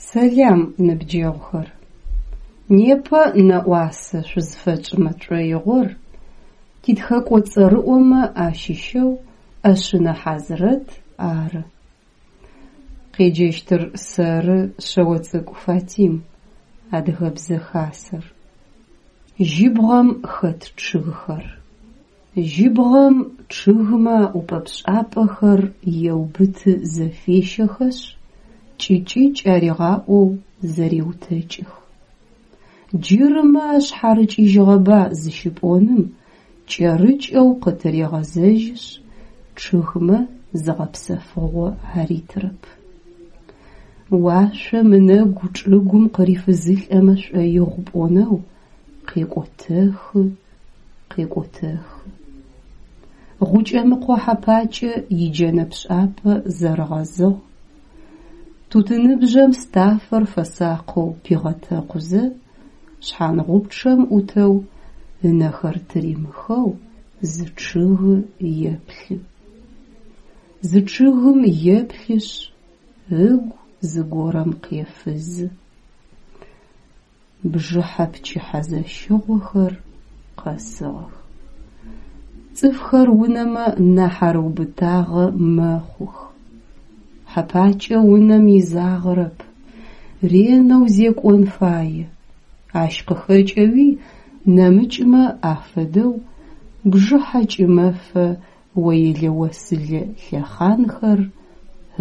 Сэлам, ныбджэгъухэр! Непэ нэӏуасэ шъузфэтшӏымэ тшӏоигъор титхэкӏо цӏэрыӏомэ ащыщэу ӏэшъынэ Хьазрэт ары. Къеджэщтыр сэры, Шъэоцӏыкӏу Фатим, Адыгэбзэ Хасэр. Жьыбгъэм хэт чъыгхэр. Жьыбгъэм чъыгмэ аӏупӏэ-пшӏапӏэхэр еубыты зэфещэхэшъ, кӏыкӏыкӏ аригъаӏоу зэреутэкӏых. Джырымэ ашъхьарыкӏыжьыгъэба зыщыпӏоным кӏэрыкӏэу къытырегъэзэжьышъ, чъыгмэ зыгъэпсэфыгъо аритырэп. Уашъом ынэгу чӏыгум къырифызылӏэмэ шӏоигъу пӏонэу къекӏотэхы, къекӏотэхы. Гъукӏэмыкъо Хьэпакӏэ иджэнэ пшӏапӏэ зэрыгъэзыгъ, тутыныбжъэм стафэр фэсакъэу пигъэтэкъузэ, шъхьангъупчъэм ӏутэу, ынэхэр тыримыхэу зы чъыгы еплъы. Зы чъыгым еплъышъ, ыгу зыгорэм къефызы. Бжыхьэ пчыхьэ зэщыгъохэр къэсыгъэх. Цӏыфхэр унэмэ нахь арыубытагъэ мэхъух. Хьэпакӏэ унэм изагъэрэп, ренэу зекӏон фае. Ащ къыхэкӏэуи нэмыкӏмэ афэдэу бжыхьэ-кӏымэфэ оелэ-осылэ лъэхъанхэр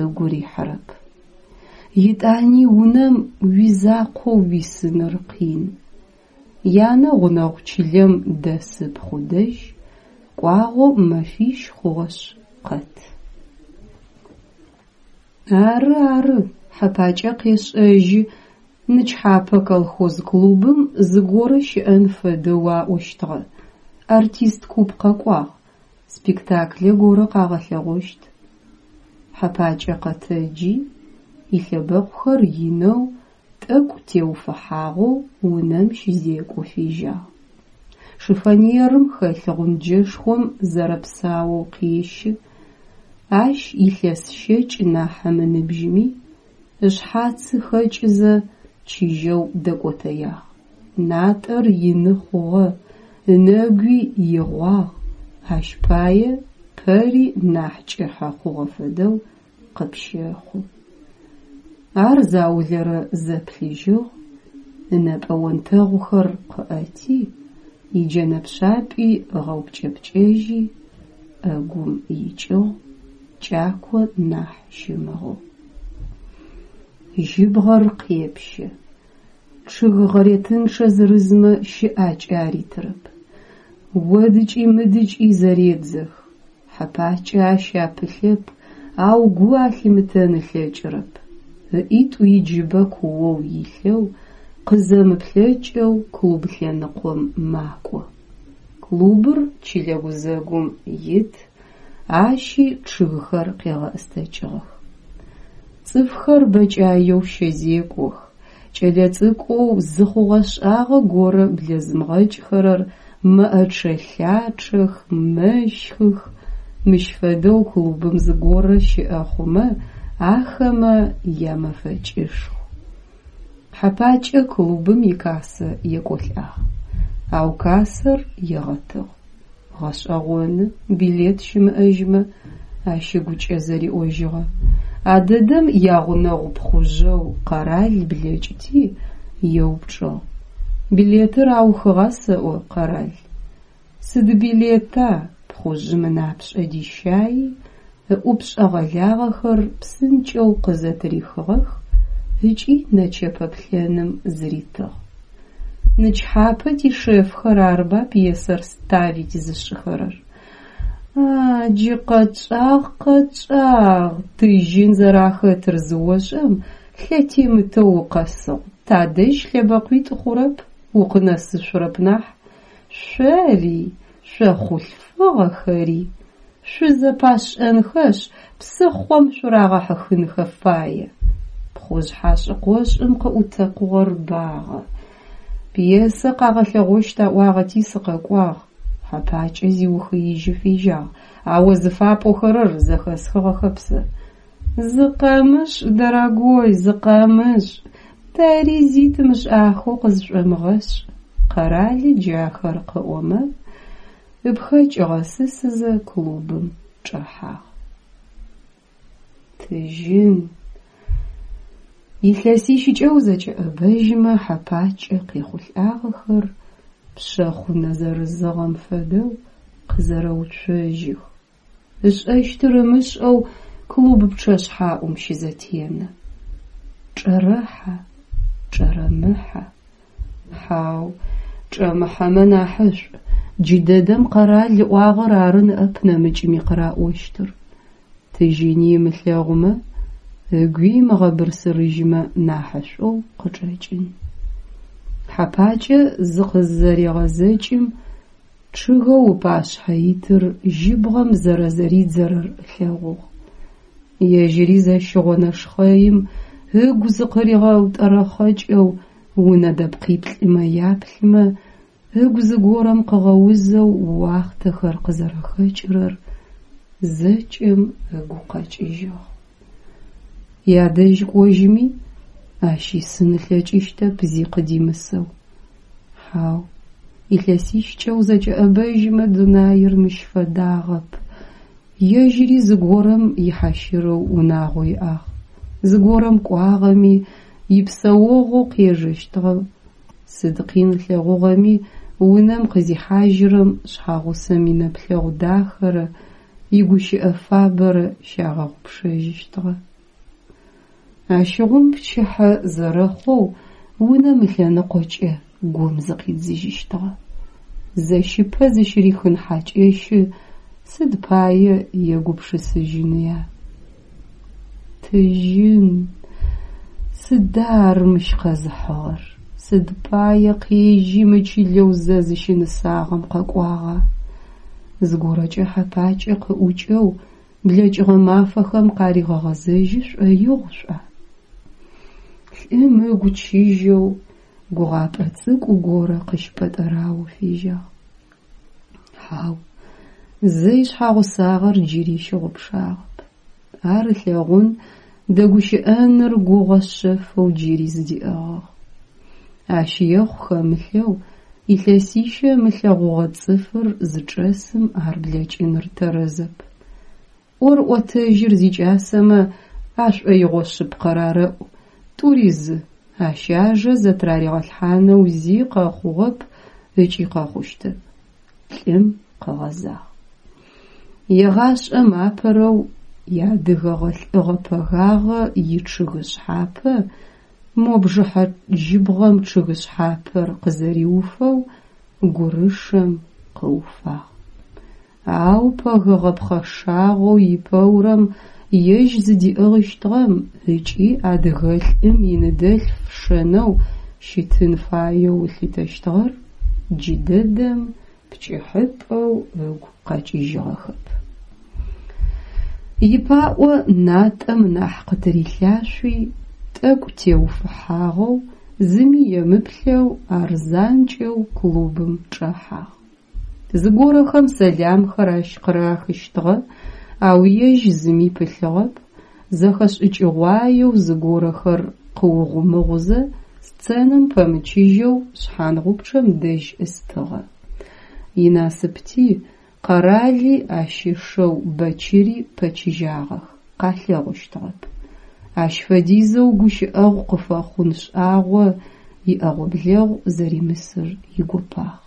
ыгу рихьырэп. Етӏани унэм уизакъоу уисыныр къин. Янэ гъунэгъу чылэм дэс ыпхъу дэжь кӏуагъэу мэфищ хъугъэшъ къэт. Ары, ары, Хьэпакӏэ къешӏэжьы, нычхьапэ колхоз клубым зыгорэ щыӏэн фэдэу аӏощтыгъэ, артист куп къэкӏуагъ, спектаклэ горэ къагъэлъэгъощт. Хьэпакӏэ къэтэджи, илъэбэкъухэр инэу, тӏэкӏу теуфыхьагъэу унэм щызекӏо фежьагъ. Шифоньерым хэлъ гъунджэшхом зэрэпсаоу къещы, ащ илъэс щэкӏ нахь ымыныбжьыми, ышъхьацы хэкӏызэ чыжьэу дэкӏотэягъ. Натӏэр ины хъугъэ, ынэгуи игъуагъ, ащ пае пэри нахь кӏыхьэ хъугъэ фэдэу къыпщэхъу. Ар заулэрэ зэплъыжьыгъ, ынэпӏэ онтэгъухэр къыӏэти, иджэнэ пшъапӏи ыгъэупкӏэпкӏэжьи, ӏэгум икӏыгъ, кӏако нахь щымыгъэу. Жьыбгъэр къепщэ. Чъыг гъэретынчъэ зырызмэ щыӏакӏэ аритырэп. Одыкӏи мыдыкӏи зэредзэх. Хьэпакӏэ ащ апылъэп, ау гу алъимытэн ылъэкӏырэп. Ыӏитӏу иджыбэ куоу илъэу, къызэмыплъэкӏэу клуб лъэныкъом макӏо. Клубыр чылэ гузэгум ит, ащи чъыгхэр къегъэӏыстэкӏыгъэх. Цӏыфхэр бэкӏаеу щэзекӏох, кӏэлэцӏыкӏоу зы хъугъэ-шӏагъэ горэ блэзымыгъэкӏхэрэр мэӏэчъэ-лъачъэх, мэщхых. Мыщ фэдэу клубым зыгорэ щыӏэ хъумэ, ахэмэ ямэфэкӏышху. Хьэпакӏэ клубым икассэ екӏолӏагъ, ау кассэр егъэтыгъ. Гъэшӏэгъоны, билет щымыӏэжьмэ, ащ ыгукӏэ зэриӏожьыгъэ. А дэдэм ягъунэгъу пхъужъэу Къэрал блэкӏыти, еупчӏыгъ: Билетыр аухыгъа сэӏо, Къэрал? Сыд билета? Пхъужъым ынапшӏэ дищаи, ыӏупшӏэ гъэлагъэхэр псынкӏэу къызэтырихыгъэх ыкӏи нэчэпэ плъэным зыритыгъ. Нычхьапэ тишефхэр арыба пьесэр ставить зышӏыхэрэр? А, джы къэтшӏагъ, къэтшӏагъ, Тыжьын зэрахэтыр зыошӏэм, лъэтемытэу укъэсыгъ, тадэжь лъэбэкъуитӏу хъурэп, укъынэсышъурэп нахь. Шъори, шъо хъулъфыгъэхэри, шъузэпашӏэнхэшъ, псыхъом шъурагъэхьыхынхэ фае. Пхъужъ хьашӏ-къошӏым къыӏутэкъугъэр багъэ. Пьесэ къагъэлъэгъощт аӏуагъэти сыкъэкӏуагъ, Хьэпакӏэ зиухыижьы фежьагъ, а о зыфапӏохэрэр зэхэсхыгъэхэп сэ. Зыкъэмышӏ, дорогой, зыкъэмышӏ! Тэри зи тымышӏахэу къызшӏомыгъэшӏ, Къэрали джахэр къыӏомэ, ыпхэкӏ ыгъэсысызэ клубым чӏэхьагъ. Тыжьын. Илъэсищыкӏэ узэкӏэӏэбэжьымэ Хьэпакӏэ къехъулӏагъэхэр пшъэхъунэ зэрызыгъэм фэдэу къызэрэуцожьых. Ышӏэщтыр ымышӏэу клуб пчъэшъхьаӏум щызэтенэ. Чӏэрэхьа, чӏэрэмыхьа? Хьау, чӏэмыхьэмэ нахьышӏу, джыдэдэм Къэрал ыӏуагъэр ары ныӏэп нэмыкӏми къыраӏощтыр. Тыжьыни ымылъэгъумэ, ыгуи ымыгъэбырсырыжьымэ нахьышӏоу къычӏэкӏын. Хьэпакӏэ зыкъызэрегъэзэкӏым, чъыгэу ыпашъхьэ итыр жьыбгъэм зэрэзэридзэрэр ылъэгъугъ. Ежьыри зэщыгъо нэшхъэим ыгу зыкъыригъэутӏэрэхъэкӏэу унэ дэпкъиплӏымэ яплъымэ, ыгу зыгорэм къыгъэузэу уахътэхэр къызэрэхэкӏырэр зэкӏэм ыгу къэкӏыжьыгъ. Ядэжь кӏожьыми, ащ исын ылъэкӏыщтэп зи къыдимысэу. Хьау, илъэсищкӏэ узэкӏэӏэбэжьымэ дунаир мыщ фэдагъэп. Ежьыри зыгорэм ихьащырэу унагъо иӏагъ. Зыгорэм кӏуагъэми, ипсэогъоу къежэщтыгъэ. Сыд къин ылъэгъугъэми, унэм къызихьажьырэм шъхьагъусэм инэплъэгъу дахэрэ игущыӏэ фабэрэ щагъэгъупшэжьыщтыгъэ. Ащыгъум пчыхьэ зэрэхъоу унэм ылъэныкъокӏэ гум зыкъидзыжьыщтыгъэ. Зэщыпэ зыщырихын хьакӏэщы сыд пае егупшысыжьыныя? Тыжьын! Сыда ар мыщ къэзыхьыгъэр? Сыд пае къежьи мы чылэу зэ зыщынысагъэм къэкӏуагъа? Зыгорэкӏэ Хьэпакӏэ къыӏукӏэу блэкӏыгъэ мафэхэм къаригъэгъэзэжьы шӏоигъу шӏуа? Лӏым ыгу чыжьэу гугъапӏэ цӏыкӏу горэ къыщыпӏэтӏэраоу фежьагъ. Хьау, зэ ишъхьагъусагъэр джыри щыгъупшагъэп. Ар ылъэгъун, дэгущыӏэныр гугъэ шъэфэу джыри зыдиӏыгъыгъ. Ащ ехъу хэмылъэу илъэсищэ ымылъэгъугъэ цӏыфыр зычӏэсым ар блэкӏыныр тэрэзэп. ӏор-ӏотэжьыр зикӏасэмэ ашӏоигъо шъыпкъэр арэӏу, тӏури зы, ащ ажэ зэтыраригъэлъхьанэу зи къэхъугъэп ыкӏи къэхъущтэп. Лӏым къыгъэзагъ. Егъашӏэм апэрэу иадыгэгъэ лӏыгъэ пэгагъэ ичъыгы шъхьапэ, мо бжыхьэ жьыбгъэм чъыгы шъхьапэр къызэриуфэу, гурышэм къыуфагъ. Ау пэгэгъэ пхъэшагъоу ипэурэм ежь зыдиӏыгъыщтыгъэм ыкӏи адыгэлӏым иныдэлъф шэнэу щытын фаеу ылъытэщтыгъэр джыдэдэм пкӏыхьыпӏэу ыгу къэкӏыжьыгъэхэп. Ипаӏо натӏэм нахь къытырилъашъуи, тӏэкӏу теуфыхьагъэу, зыми емыплъэу ар занкӏэу клубым чӏэхьагъ. Зыгорэхэм сэламхэр ащ къырахыщтыгъэ, ау ежь зыми пылъыгъэп, зэхэшӏыкӏыгъуаеу зыгорэхэр къыугъумыгъузэ сценэм пэмычыжьэу шъхьангъупчъэм дэжь ӏыстыгъэ. Инасыпти, Къэрали ащ ышэу Бэчыри пэчыжьагъэх, къалъэгъущтыгъэп. Ащ фэдизэу гущыӏэгъу къыфэхъун шӏагъо иӏэгъо-блэгъу зэримысыр игопагъ.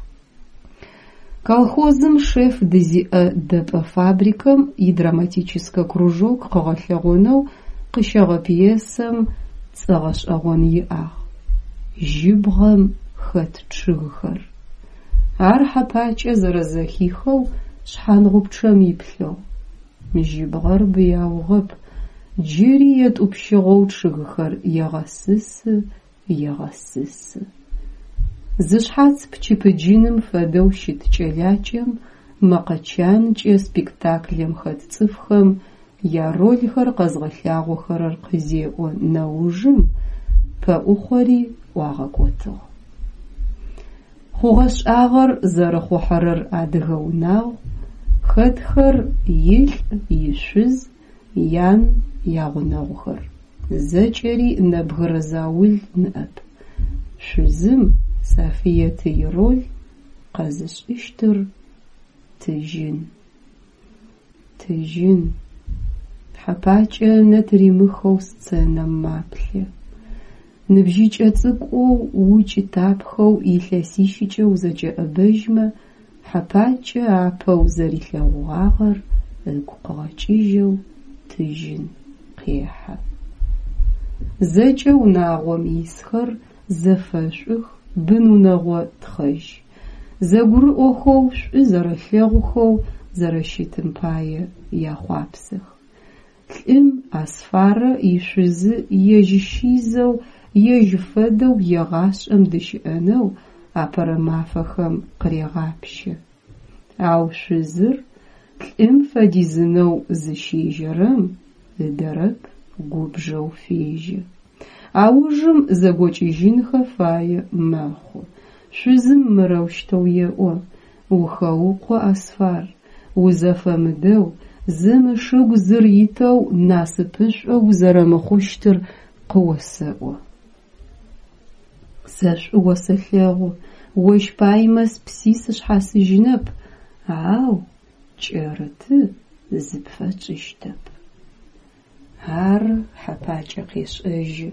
Колхозым шеф дызиӏэ дэпӏэ фабрикэм идраматическэ кружок къыгъэлъэгъонэу къыщэгъэ пьесэм цӏэ гъэшӏэгъон иӏагъ: Жьыбгъэм хэт чъыгхэр. Ар Хьэпакӏэ зэрэзэхихэу шъхьангъупчъэм иплъыгъ. Жьыбгъэр быяугъэп, джыри етӏупщыгъэу чъыгхэр егъэсысы, егъэсысы. Зышъхьац пчыпыджыным фэдэу щыт кӏэлакӏэм мэкъэ чанкӏэ спектаклэм хэт цӏыфхэм ярольхэр къэзгъэлъагъохэрэр къызеӏо нэужым пэӏухъори ӏуагъэкӏотыгъ. Хъугъэ-шӏагъэр зэрыхъухьэрэр адыгэ унагъу, хэтхэр илӏ, ишъуз, ян, ягъунэгъухэр. Зэкӏэри нэбгырэ заул ныӏэп. Шъузым, Сафыеты ироль къэзышӏыщтыр Тыжьын. Тыжьын. Хьапакӏэ ынэ тыримыхэу сценэм маплъэ. Ныбжьыкӏэ цӏыкӏоу укӏытапхэу илъэсищыкӏэ узэкӏэӏэбэжьмэ Хьапакӏэ апэу зэрилъэгъугъагъэр ыгу къыгъэкӏыжьэу Тыжьын къехьэ. Зэкӏэ унагъом исхэр зэфэшӏух, бын-унэгъо тхъэжь. Зэгурыӏохэу, шӏу зэрэлъэгъухэу зэрэщытым пае яхъуапсэх. Лӏым Асфарэ ишъузы ежь щизэу, ежь фэдэу егъашӏэм дыщыӏэнэу апэрэ мафэхэм къырегъапщэ. Ау шъузыр лӏым фэдизынэу зыщежьэрэм, ыдэрэп, губжэу фежьэ. Аужым зэгокӏыжьынхэ фае мэхъу. Шъузым мырэущтэу еӏо: Ухэукъо, Асфар, узэфэмыдэу, зым ышыгу зыр итэу насыпышӏо узэрэмыхъущтыр къыосэӏо. Сэ шӏу осэлъэгъу, ощ паймэ спси сышъхьасыжьынэп, ау кӏэрыты зыпфэтшӏыщтэп. Ары, Хьапакӏэ къешӏэжьы,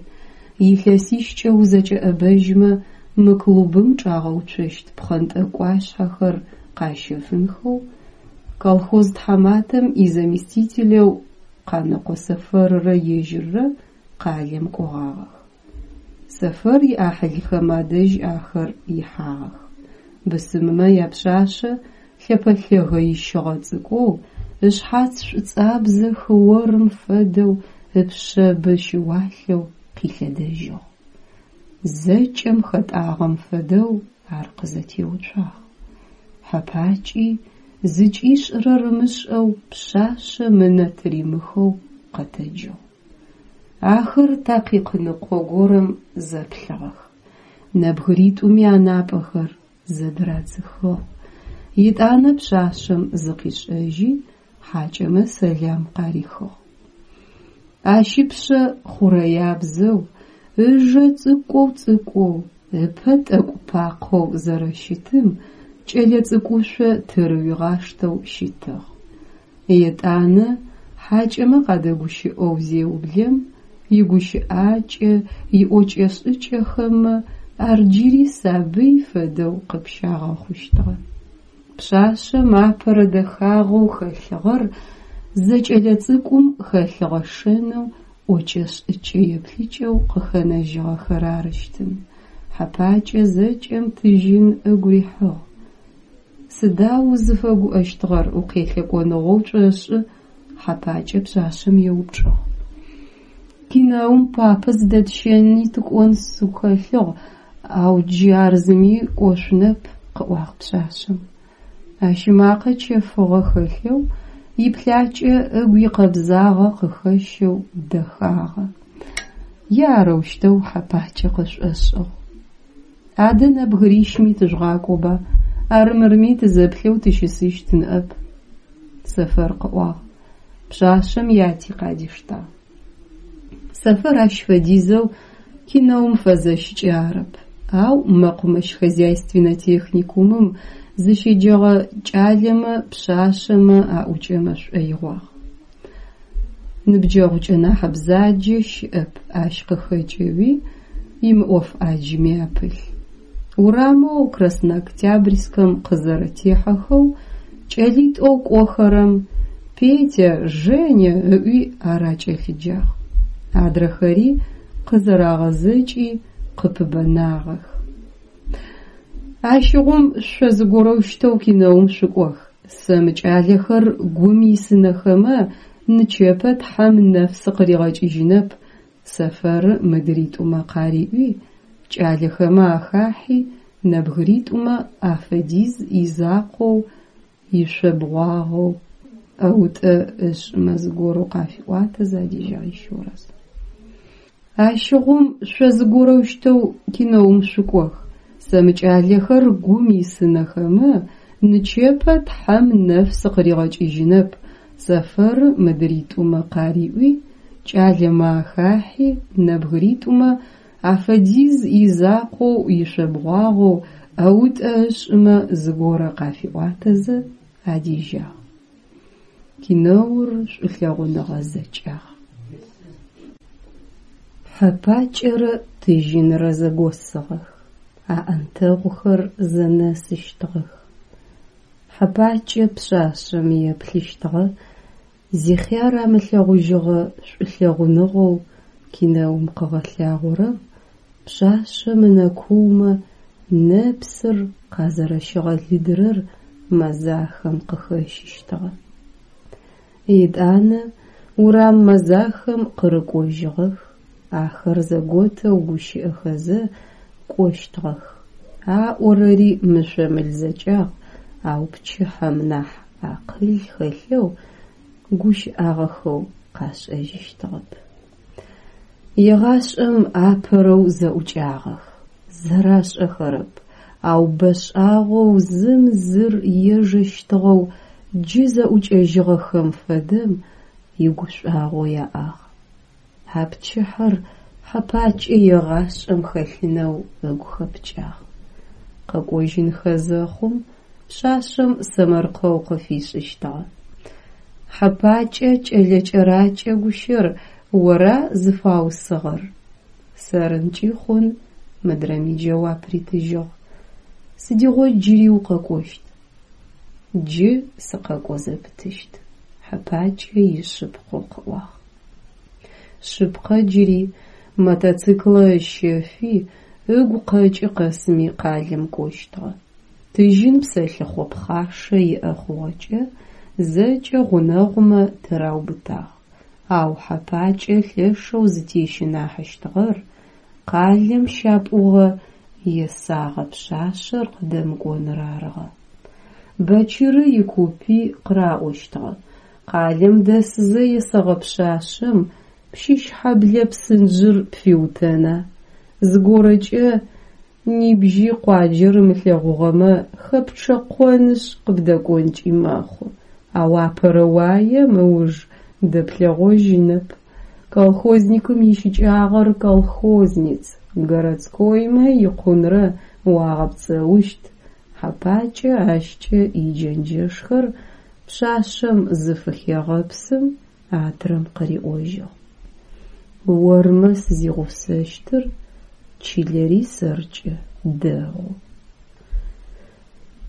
илъэсищкӏэ узэкӏэӏэбэжьмэ мы клубым чӏагъэуцощт пхъэнтӏэкӏуашъхьэхэр къащэфынхэу колхоз тхьаматэм изаместителэу Къанэкъо Сэфэррэ ежьыррэ къалэм кӏогъагъэх. Сэфэр иӏахьылхэм адэжь ахэр ихьагъэх. Бысымымэ япшъашъэ лъэпэлъэгэ ищыгъэ цӏыкӏоу, ышъхьац шӏуцӏабзэ хыорым фэдэу ыпшъэбэ щыуалъэу къилъэдэжьыгъ. Зэкӏэм хэтӏагъэм фэдэу ар къызэтеуцуагъ. Хьэпакӏи зыкӏишӏырэр ымышӏэу пшъашъэм ынэ тыримыхэу къэтэджыгъ. Ахэр такъикъ ныкъо горэм зэплъыгъэх. Нэбгыритӏуми анапӏэхэр зэдырадзыхыгъ. Етӏанэ пшъашъэм зыкъишӏэжьи, хьакӏэмэ сэлам къарихыгъ. Ащ ыпшъэ хъурэябзэу, ыжэ цӏыкӏоу-цӏыкӏоу, ыпэ тӏэкӏу пакъэу зэрэщытым кӏэлэцӏыкӏушъо тырыуигъаштэу щытыгъ. Етӏанэ хьакӏэмэ къадэгущыӏэу зеублэм, игущыӏакӏэ, иӏокӏэ-шӏыкӏэхэмэ ар джыри сабый фэдэу къыпщагъэхъущтыгъэ. Пшъашъэм апэрэ дэхагъэу хэлъыгъэр зэкӏэлэцӏыкӏум хэлъыгъэ шэнэу ӏокӏэ-шӏыкӏэ еплъыкӏэу къыхэнэжьыгъэхэр арыщтын. Хьэпакӏэ зэкӏэм Тыжьын ыгу рихьыгъ. Сыда узыфэгуӏэщтыгъэр, укъелъэкӏоныгъэу пшӏошӏы? Хьэпакӏэ пшъашъэм еупчӏыгъ. Кинэум папэ зыдэтщэни тыкӏон сыгу хэлъыгъ, ау джы ар зыми кӏошъунэп, къыӏуагъ пшъашъэм. Ащ ымакъэ чэфыгъэ хэлъэу, иплъакӏэ ыгу икъэбзагъэ къыхэщэу дэхагъэ. Е арэущтэу Хьэпакӏэ къышӏошӏыгъ. Адэ нэбгырищми тыжъугъакӏоба, арымырми тызэплъэу тыщысыщт ныӏэп, Сэфэр къыӏуагъ. Пшъашъэм яти къадиштагъ. Сэфэр ащ фэдизэу кинэум фэзэщыкӏэ арэп, ау мэкъумэщ-хозяйственнэ техникумым зыщеджэгъэ кӏалэмэ пшъашъэмэ аӏукӏэмэ шӏоигъуагъ. Ныбджэгъукӏэ нахь бзаджэ щыӏэп, ащ къыхэкӏэуи имыӏоф ӏаджми апылъ. Урамэу Краснооктябрьскэм къызэрэтехьэхэу кӏэлитӏоу кӏохэрэм «Петя, Женя!» ыӏуи ар акӏэлъыджагъ. Адрэхэри къызэрагъэзэкӏи къыпыбэнагъэх. Ащыгъум шъо зыгорэущтэу кинэум шъукӏох, сэ мы кӏалэхэр гум исынэхэмэ, нычэпэ Тхьэм нэф сыкъыригъэкӏыжьынэп, Сэфэры мыдритӏумэ къариӏуи, кӏалэхэмэ ахахьи, нэбгыритӏумэ афэдиз изакъоу ишъобгъуагъэу ӏэутӏэ ышӏымэ зыгорэу къафиӏуатэзэ адежьагъ еще раз. Ащыгъум шъо зыгорэущтэу кинэум шъукӏох, сэ мы кӏалэхэр гум исынэхэмэ, нычэпэ Тхьэм нэф сыкъыригъэкӏыжьынэп, Сэфэры мыдритӏумэ къариӏуи, кӏалэмэ ахахьи, нэбгыритӏумэ афэдиз изакъоу ишъобгъуагъэу ӏэутӏэ ышӏымэ зыгорэ къафиӏуатэзэ адежьагъ. Кинэур шӏулъэгъуныгъэ зэкӏагъ. Хьэпакӏэрэ Тыжьынрэ зэгосыгъэх, аӏэнтэгъухэр зэнэсыщтыгъэх. Хьэпакӏэ пшъашъэм еплъыщтыгъэ, зихъяр амылъэгъужьыгъэ шӏулъэгъуныгъэу кинэум къыгъэлъагъорэм пшъашъэм ынэ куумэ нэпсыр къазэрэщигъэлыдырэр мэзахэм къыхэщыщтыгъэ. Етӏанэ урам мэзахэм къырыкӏожьыгъэх, ахэр зэготэу гущыӏэхэзэ кӏощтыгъэх. Аӏорэри мышъо-мыл зэкӏагъ, ау пчыхьэм нахь акъыл хэлъэу гущыӏагъэхэу къашӏэжьыщтыгъэп. Егъашӏэм апэрэу зэӏукӏагъэх, зэрашӏэхэрэп, ау бэшӏагъэу зым зыр ежэщтыгъэу джы зэӏукӏэжьыгъэхэм фэдэм игушӏуагъо яӏагъ. А пчыхьэр Хьэпакӏэ егъашӏэм хэлъынэу ыгу хэпкӏагъ. Къэкӏожьынхэ зэхъум пшъашъэм сэмэркъэу къыфишӏыщтыгъэ. Хьэпакӏэ кӏэлэ кӏэракӏэ гущэр ора зыфаусыгъэр? Сэрынкӏи хъун, мыдрэми джэуап ритыжьыгъ. Сыдигъо джыри укъэкӏощт? Джы сыкъэкӏо зэпытыщт, Хьэпакӏэ ишъыпкъэу къыӏуагъ. Шъыпкъэ джыри, мотоциклэ ыщэфи, ыгу къэкӏы къэсми къалэм кӏощтыгъэ. Тыжьын псэлъыхъо пхъашэ иӏэ хъугъэкӏэ зэкӏэ гъунэгъумэ тыраубытагъ. Ау Хьэпакӏэ лъэшэу зытещынахьыщтыгъэр къалэм щапӏугъэ есагъэ пшъашъэр къыдэмыкӏоныр арыгъэ. Бэчыры икупи къыраӏощтыгъэ: къалэм дэсызэ есэгъэ пшъашъэм Пщыщхьэблэ псынжъыр пфиутэна? Зыгорэкӏэ нибжьи къуаджэр ымылъэгъугъэмэ, хэпчъэкъонышъ къыбдэкӏонкӏи мэхъу, ау апэрэ уаем ыуж дэплъэгъожьынэп. Колхозникым ищыкӏагъэр колхозниц, городскоймэ икъунрэ уагъэпцӏэущт, Хьэпакӏэ ащкӏэ иджэнджэшхэр пшъашъэм зыфыхегъэпсым, адрэм къыриӏожьыгъ: Ормэ сызигъусэщтыр, чылэри сэркӏэ дэгъу.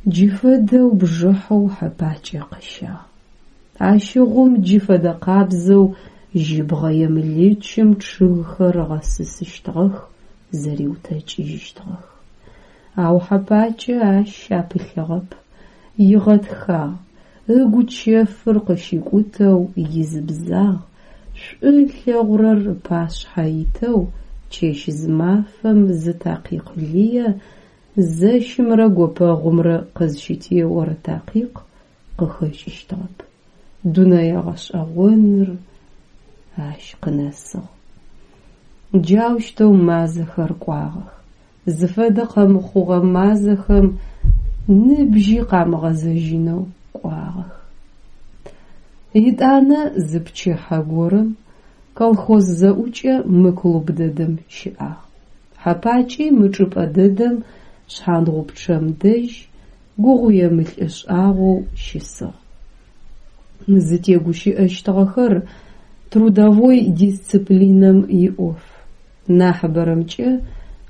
Джы фэдэу бжыхьэу Хьэпакӏэ къыщагъ. Ащыгъум джы фэдэкъабзэу жьыбгъэ емылычым чъыгхэр ыгъэсысыщтыгъэх, зэриутэкӏыжьыщтыгъэх. Ау Хьэпакӏэ ащ апылъыгъэп, игъэтхагъ, ыгу чэфыр къыщикӏутэу изыбзагъ, шӏу ылъэгъурэр ыпашъхьэ итэу чэщ-зымафэм зы такъикъ лые зэщымрэ гопэгъумрэ къызщытеорэ такъикъ къыхэкӏыщтыгъэп. Дунэе гъэшӏэгъоныр ащ къынэсыгъ. Джаущтэу мазэхэр кӏуагъэх. Зыфэдэ къэмыхъугъэ мазэхэм ныбжьи къамыгъэзэжьынэу кӏуагъэх. Етӏанэ зы пчыхьэ горэм колхоз зэӏукӏэ мы клуб дэдэм щыӏагъ. Хьэпакӏи мы чӏыпӏэ дэдэм шъхьангъупчъэм дэжь гугъуемылӏы шӏагъоу щысыгъ. Зытегущыӏэщтыгъэхэр трудовой дисциплинэм иӏоф. Нахьыбэрэмкӏэ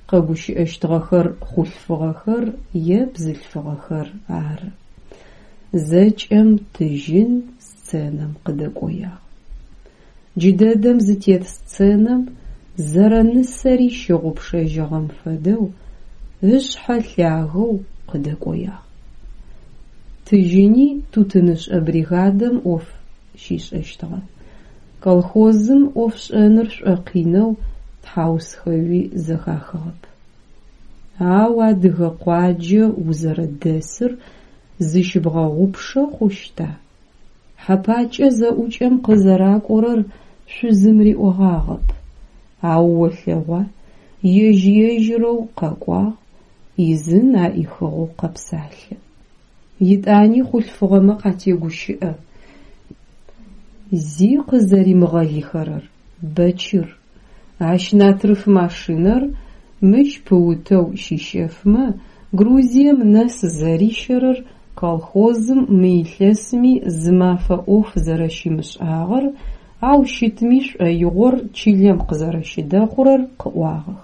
къэгущыӏэщтыгъэхэр хъулъфыгъэхэр е бзылъфыгъэхэр ары. Зэкӏэм Тыжьын сценэм къыдэкӏоягъ. Джыдэдэм зытет сценэм зэрэнысэри щыгъупшэжьыгъэм фэдэу ышъхьэ лъагэу къыдэкӏоягъ. Тыжьыни тутынышӏэ бригадэм ӏоф щишӏэщтыгъэ. Колхозым ӏофшӏэныр шӏокъинэу тхьаусхэуи зэхахыгъэп. Ау адыгэ къуаджэ узэрэдэсыр зыщыбгъэгъупшэ хъущта? Хьэпакӏэ зэӏукӏэм къызэракӏорэр шъузым риӏогъагъэп. Ау олъэгъуа, ежь-ежьырэу къэкӏуагъ, ӏизын аӏихыгъэу къэпсалъэ. Етӏани хъулъфыгъэмэ къатегущыӏэ. Зи къызэримыгъэлыхэрэр. Бэчыр. Ащ натрыф машинэр мыщ пыутэу щищэфмэ, Грузием нэс зэрищэрэр, колхозым мы илъэсми зы мафэ ӏоф зэрэщимышӏагъэр, ау щытми шӏоигъор чылэм къызэрэщыдэхъурэр къыӏуагъэх.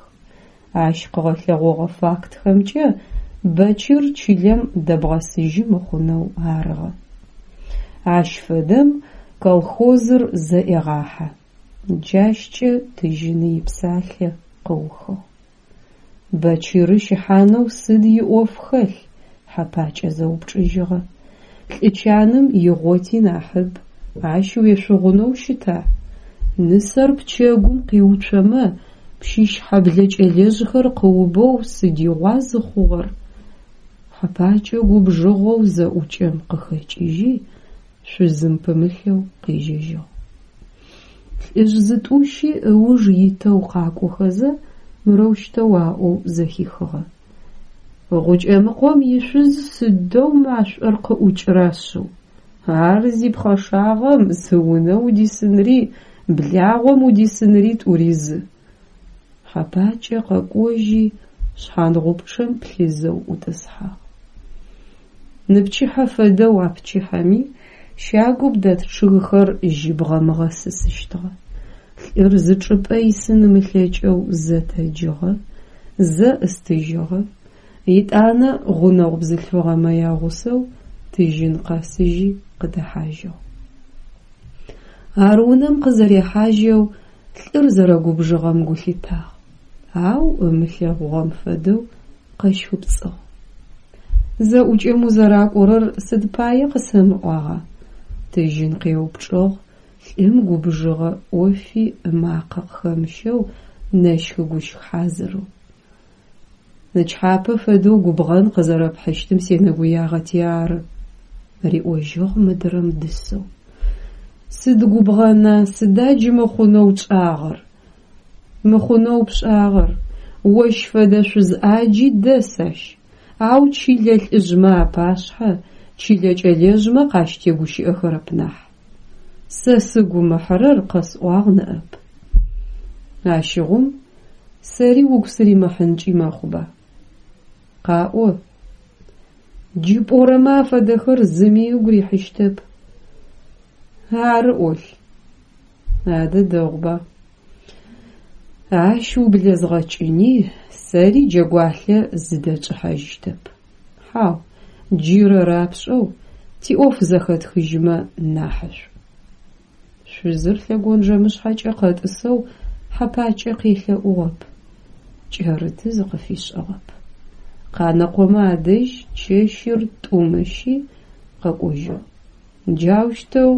Ащ къыгъэлъэгъогъэ фактхэмкӏэ Бэчыр чылэм дэбгъэсыжьы мыхъунэу арыгъэ. Ащ фэдэм колхозыр зэӏегъахьэ. Джащкӏэ Тыжьыны ипсалъэ къыухыгъ. Бэчыры щыхьанэу сыд иӏоф хэлъ? Хьэпакӏэ зэупчӏыжьыгъэ. Лӏы чаным игъоти нахьыб, ащ уешъугъунэу щыта? Нысэр пчэгум къиуцомэ, Пщыщхьэблэ кӏэлэжъхэр къыубэу сыдигъуа зыхъугъэр? Хьэпакӏэ губжыгъэу зэӏукӏэм къыхэкӏыжьи, шъузым пымылъэу къежьэжьыгъ. Лӏыжъ зытӏущи ыуж итэу къакӏохэзэ, мырэущтэу аӏоу зэхихыгъэ. Гъукӏэмыкъом ишъуз сыдэу машӏор къыӏукӏыра шъыу! Ар зипхъэшагъэм зы унэ удисынри благъом удисынри тӏури зы. Хьэпакӏэ къэкӏожьи, шъхьангъупчъэм плъызэу ӏутӏысхьагъ. Ныпчыхьэ фэдэу а пчыхьэми щагум дэт чъыгхэр жьыбгъэм ыгъэсысыщтыгъэ. Лӏыр зы чӏыпӏэ исын ымылъэкӏэу зэ тэджыгъэ, зэ ӏыстыжьыгъэ, етӏанэ гъунэгъу бзылъфыгъэмэ ягъусэу Тыжьын къэсыжьи къыдэхьажьыгъ. Ар унэм къызэрехьажьэу лӏыр зэрэгубжыгъэм гу лъитагъ, ау ымылъэгъугъэм фэдэу къэщхыпцӏыгъ. Зэӏукӏэм узэракӏорэр сыд пае къысэмыӏуагъа? Тыжьын къеупчӏыгъ, лӏым губжыгъэ ӏофи ымакъэ къыхэмыщэу нэщх-гущх хьазырэу. Нычхьапэ фэдэу губгъэн къызэрэпхьыщтым сенэгуягъэти ары, риӏожьыгъ мыдрэм дысэу. Сыд губгъэна, сыда джы мыхъунэу тшӏагъэр? Мыхъунэу пшӏагъэр, ощ фэдэ шъуз ӏаджи дэс ащ, ау чылэ лӏыжъмэ апашъхьэ, чылэ кӏэлэжъмэ къащытегущыӏэхэрэп нахь. Сэ сыгу ымыхьырэр къэсӏуагъ ныӏэп. Ащыгъум сэри угу сыримыхьынкӏи мэхъуба? Къаӏо. Джы пӏорэмэ афэдэхэр зыми ыгу рихьыщтэп. Ары ӏолъ. Адэ дэгъуба. Ащ ублэзгъэкӏыни, сэри джэгуалъэ зыдэтшӏыхьажьыщтэп. Хьау, джырэ рапшӏэу тиӏоф зэхэтхыжьымэ нахьышӏу. Шъузыр лъэгонджэмышъхьэкӏэ къэтӏысэу Хьэпакӏэ къелъэӏугъэп, кӏэрыты зыкъыфишӏыгъэп. Къанэкъомэ адэжь чэщыр тӏум ыщи, къэкӏожьыгъ. Джаущтэу,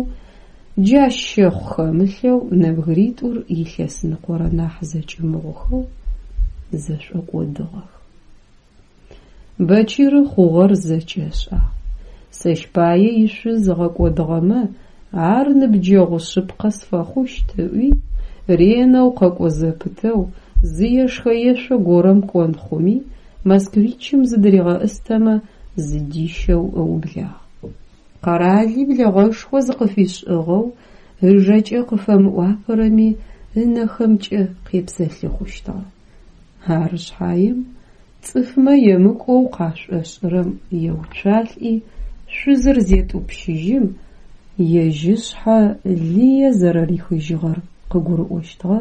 джащ щэхъу хэмылъэу нэбгыритӏур илъэсныкъорэ нахь зэкӏымыгъухэу зэшӏокӏодыгъэх. Бэчыры хъугъэр зэкӏэ ышӏагъ. Сэщ пае ишъуз ыгъэкӏодыгъэмэ, ар ныбджэгъу шъыпкъэ сфэхъущт ыӏуи, ренэу къэкӏо зэпытэу, зы ешхэ-ешъо горэм кӏон хъуми, москвичым зыдыригъэӏыстэмэ, зыдищэу ыублагъ. Къэрали блэгъэшхо зыкъыфишӏыгъэу, ыжэкӏэ къыфэмыӏуапэрэми ынэхэмкӏэ къепсэлъыхъущтыгъэ. Ары шъхьаем, цӏыфмэ емыкӏоу къашӏошӏырэм еуцуалӏи, шъузыр зетӏупщыжьым, ежь ышъхьэ лые зэрэрихыжьыгъэр къыгурыӏощтыгъэ,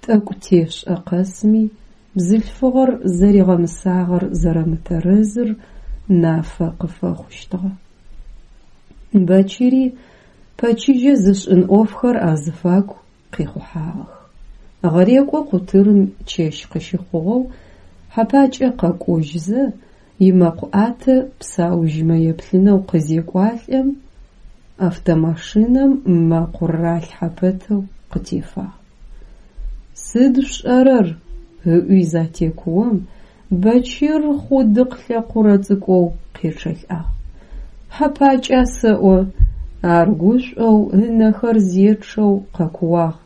тӏэкӏу тешӏэ къэсми, бзылъфыгъэр зэригъэмысагъэр зэрэмытэрэзыр нафэ къыфэхъущтыгъэ. Бэчыри пэчыжьэ зышӏын ӏофхэр азыфагу къихъухьагъэх. Гъэрекӏо къутырым чэщ къыщыхъугъэу Хьэпакӏэ къэкӏожьзэ, имэкъу ӏатэ псаужьмэ еплъынэу къызекӏуалӏэм, автомашинэм мэкъур ралъхьэ пэтэу къытефагъ. Сыд шъушӏэрэр? ыӏуи затекуом, Бэчыр хъудыкъ лъэкъурэ цӏыкӏоу къечъэлӏагъ. Хьэпакӏа сэӏо? Ар гушӏоу, ынэхэр зечъэу къэкууагъ.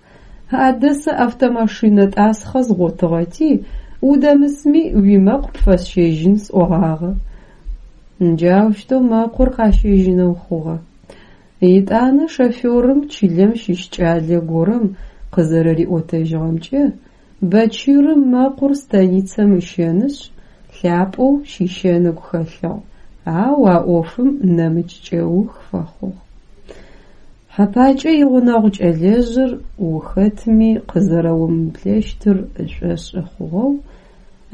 Адэ сэ автомашинэ тӏасхъэ згъотыгъэти, удэмысми уимэкъу пфэсщэжьын сӏогъагъэ. Джаущтэу мэкъур къащэжьынэу хъугъэ. Етӏанэ шоферым чылэм щыщ кӏалэ горэм Къызэрэриӏотэжьыгъэмкӏэ, Бэчырым мэкъур станицэм ыщэнышъ, лъапӏэу щищэн ыгу хэлъыгъ, ау а ӏофым нэмыкӏ кӏэух фэхъугъ. Хьэпакӏэ игъунэгъу кӏэлэжъыр ухэтми къызэрэомыблэщтыр ышӏошъы хъугъэу,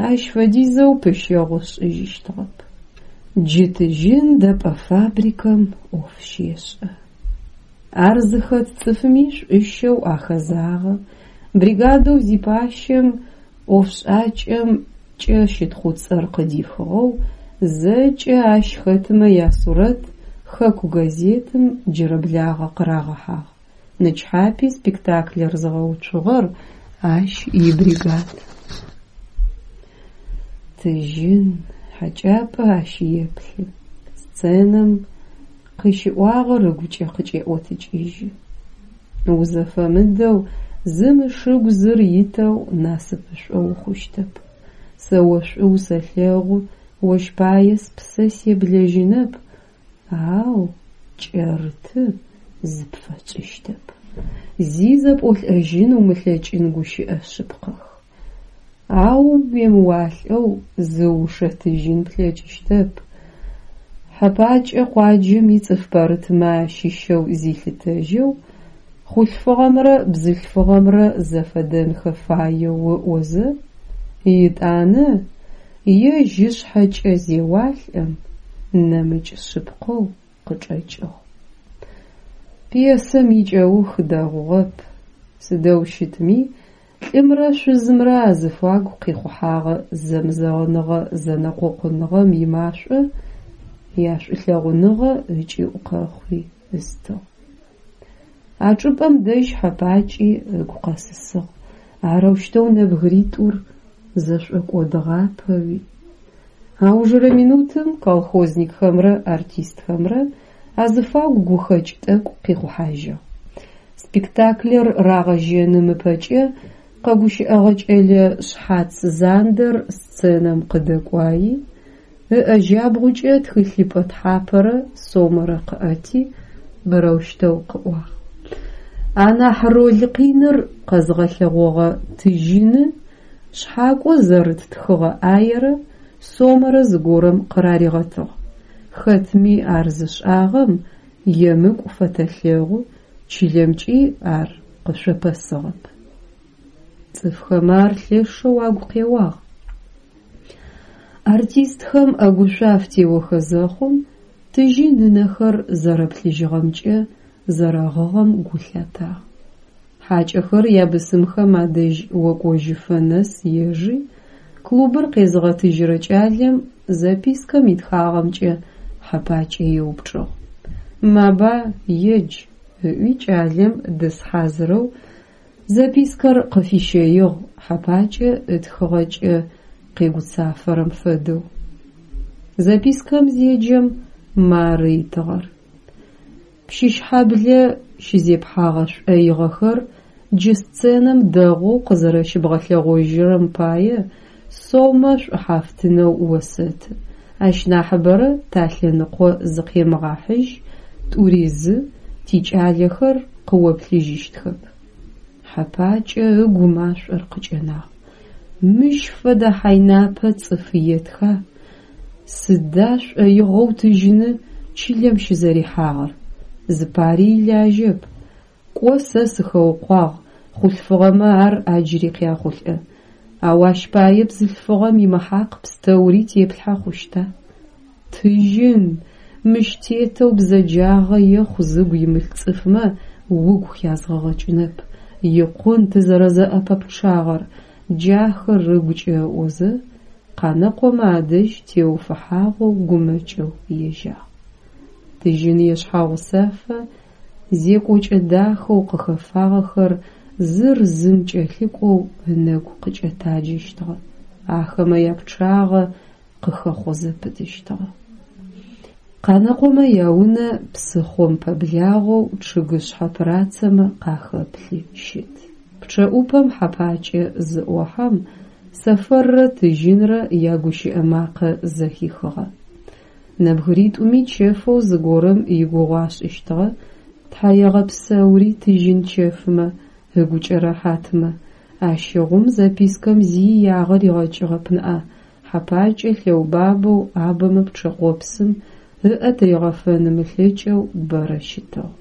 ащ фэдизэу пыщэгъу ышӏыжьыщтыгъэп. Джы тыжьын дэпӏэ фабрикэм ӏоф щешӏэ. Ар зыхэт цӏыфми шӏущэу ахэзагъэ, бригадэу зипащэм ӏофшӏакӏэм кӏэ щытхъуцӏэр къыдихыгъэу, зэкӏэ ащ хэтмэ ясурэт хэку газетым джырэблагъэ къырагъэхьагъ. Нычхьапи спектаклэр зыгъэуцугъэр ащ ибригад. Тыжьын хьэкӏапӏэ ащ еплъы, сценэм къыщиӏуагъэр ыгукӏэ къыкӏеӏотыкӏыжьы. Узэфэмыдэу, зым ышыгу зыр итэу насыпышӏо ухъущтэп. Сэ о шӏу усэлъэгъу, ощ пае спсэ себлэжьынэп, ау кӏэрыты зыпфэсшӏыщтэп. Зи зэпӏолӏэжьын умылъэкӏын гущыӏэ шъыпкъэх. Ау уемыуалӏэу зыушэтыжьын плъэкӏыщтэп. Хьэпакӏэ къуаджэм ицӏыф пэрытмэ ащыщэу зилъытэжьэу, хъулъфыгъэмрэ бзылъфыгъэмрэ зэфэдэнхэ фаеу ыӏозэ, етӏанэ ежь ышъхьэкӏэ зеуалӏэм, нэмыкӏ шъыпкъэу къычӏэкӏыгъ. Пьесэм икӏэух дэгъугъэп, сыдэу щытми, лӏымрэ шъузымрэ азыфагу къихъухьагъэ зэмызэгъыныгъэ-зэнэкъокъуныгъэм имашӏо яшӏулъэгъуныгъэ ыкӏыӏу къэхъуи ыстыгъ. А чӏыпӏэм дэжь Хьэпакӏи ыгу къэсысыгъ, арэущтэу нэбгыритӏур зэшӏокӏодыгъапэуи. Аужырэ минутым колхозникхэмрэ артистхэмрэ азыфагу гухэкӏ тӏэкӏу къихъухьажьыгъ. Спектаклэр рагъэжьэным ыпэкӏэ къэгущыӏэгъэ кӏэлэ шъхьац зандэр сценэм къыдэкӏуайи, ыӏэ джабгъукӏэ тхылъыпӏэ тхьапэрэ сомэрэ къыӏэти, мырэущтэу къыӏуагъ: Анахь роль къиныр къэзгъэлъэгъогъэ Тыжьыны шъхьакӏо зэрыт тхыгъэ ӏаерэ сомэрэ зыгорэм къыраригъэтыгъ. Хэтми ар зышӏагъэм емыкӏу фэтэлъэгъу, чылэмкӏи ар къышъопэсыгъэп. Цӏыфхэм ар лъэшэу агу къеуагъ. Артистхэм ӏэгушъо афтеохэ зэхъум, Тыжьын ынэхэр зэрэплъыжьыгъэмкӏэ зэрэгъыгъэм гу лъатагъ. Хьакӏэхэр ябысымхэм адэжь окӏожьыфэ нэс ежи, клубыр къезыгъэтыжьырэ кӏалэм запискэм итхагъэмкӏэ Хьэпакӏэ еупчӏыгъ. Маба, едж, ыӏуи кӏалэм дыс хьазырэу запискэр къыфищэигъ Хьэпакӏэ ытхыгъэкӏэ къегуцафэрэм фэдэу. Запискэм зеджэм мары итыгъэр: Пщыщхьаблэ щызепхьагъэ шӏоигъэхэр джы сценэм дэгъоу къызэрэщыбгъэлъэгъожьырэм пае сомэ шӏухьафтынэу осэты, ащ нахьыбэрэ талъэныкъо зыкъемыгъахьыжь, тӏури зы, тикӏалэхэр къыоплъыжьыщтхэп. Хьэпакӏэ ыгу машӏор къыкӏэнагъ. Мыщ фэдэ хьайнапэ цӏыф етха? Сыда шӏоигъэу Тыжьыны чылэм щызэрихьагъэр? Зыпари илажьэп. Кӏо сэ сыхэукъуагъ, хъулъфыгъэмэ ар ӏаджри къяхъулӏэ. Ау ащ пае бзылъфыгъэм имыхьакъ пстэури теплъхьэ хъущта? Тыжьын, мыщ тетэу бзэджагъэ ехъу зыгу имылъ цӏыфмэ угу хязгъэгъэкӏынэп, икъун тызэрэзэӏэпэпчъагъэр, джахэр ыгукӏэ ыӏозэ, Къанэкъомэ адэжь теуфыхьагъэу гумэкӏэу ежьагъ. Тыжьын ешъхьагъусэфэ зекӏокӏэ дахэу къыхэфагъэхэр зыр зым кӏэлъыкӏоу ынэгу къыкӏэтаджэщтыгъэ, ахэмэ япчъагъэ къыхэхъо зэпытыщтыгъэ. Къанэкъомэ яунэ псыхъом пэблагъэу чъыгышъхьэ пырацэмэ къахэплъи щыт. Пчъэӏупэм Хьэпакӏэ зыӏохьэм, Сэфэррэ Тыжьынрэ ягущыӏэ макъэ зэхихыгъэ. Нэбгыритӏуми чэфэу зыгорэм игугъу ашӏыщтыгъэ, тхьаегъэпсэури тыжьын чэфмэ. Ыгукӏэ рэхьатмэ, ащыгъум запискэм зи иягъэ ригъэкӏыгъэп ныӏа, Хьэпакӏэ лъэубабэу ӏабэмэ пчъэкъопсым ыӏэ тыригъэфэн ымылъэкӏэу бэрэ щытыгъ.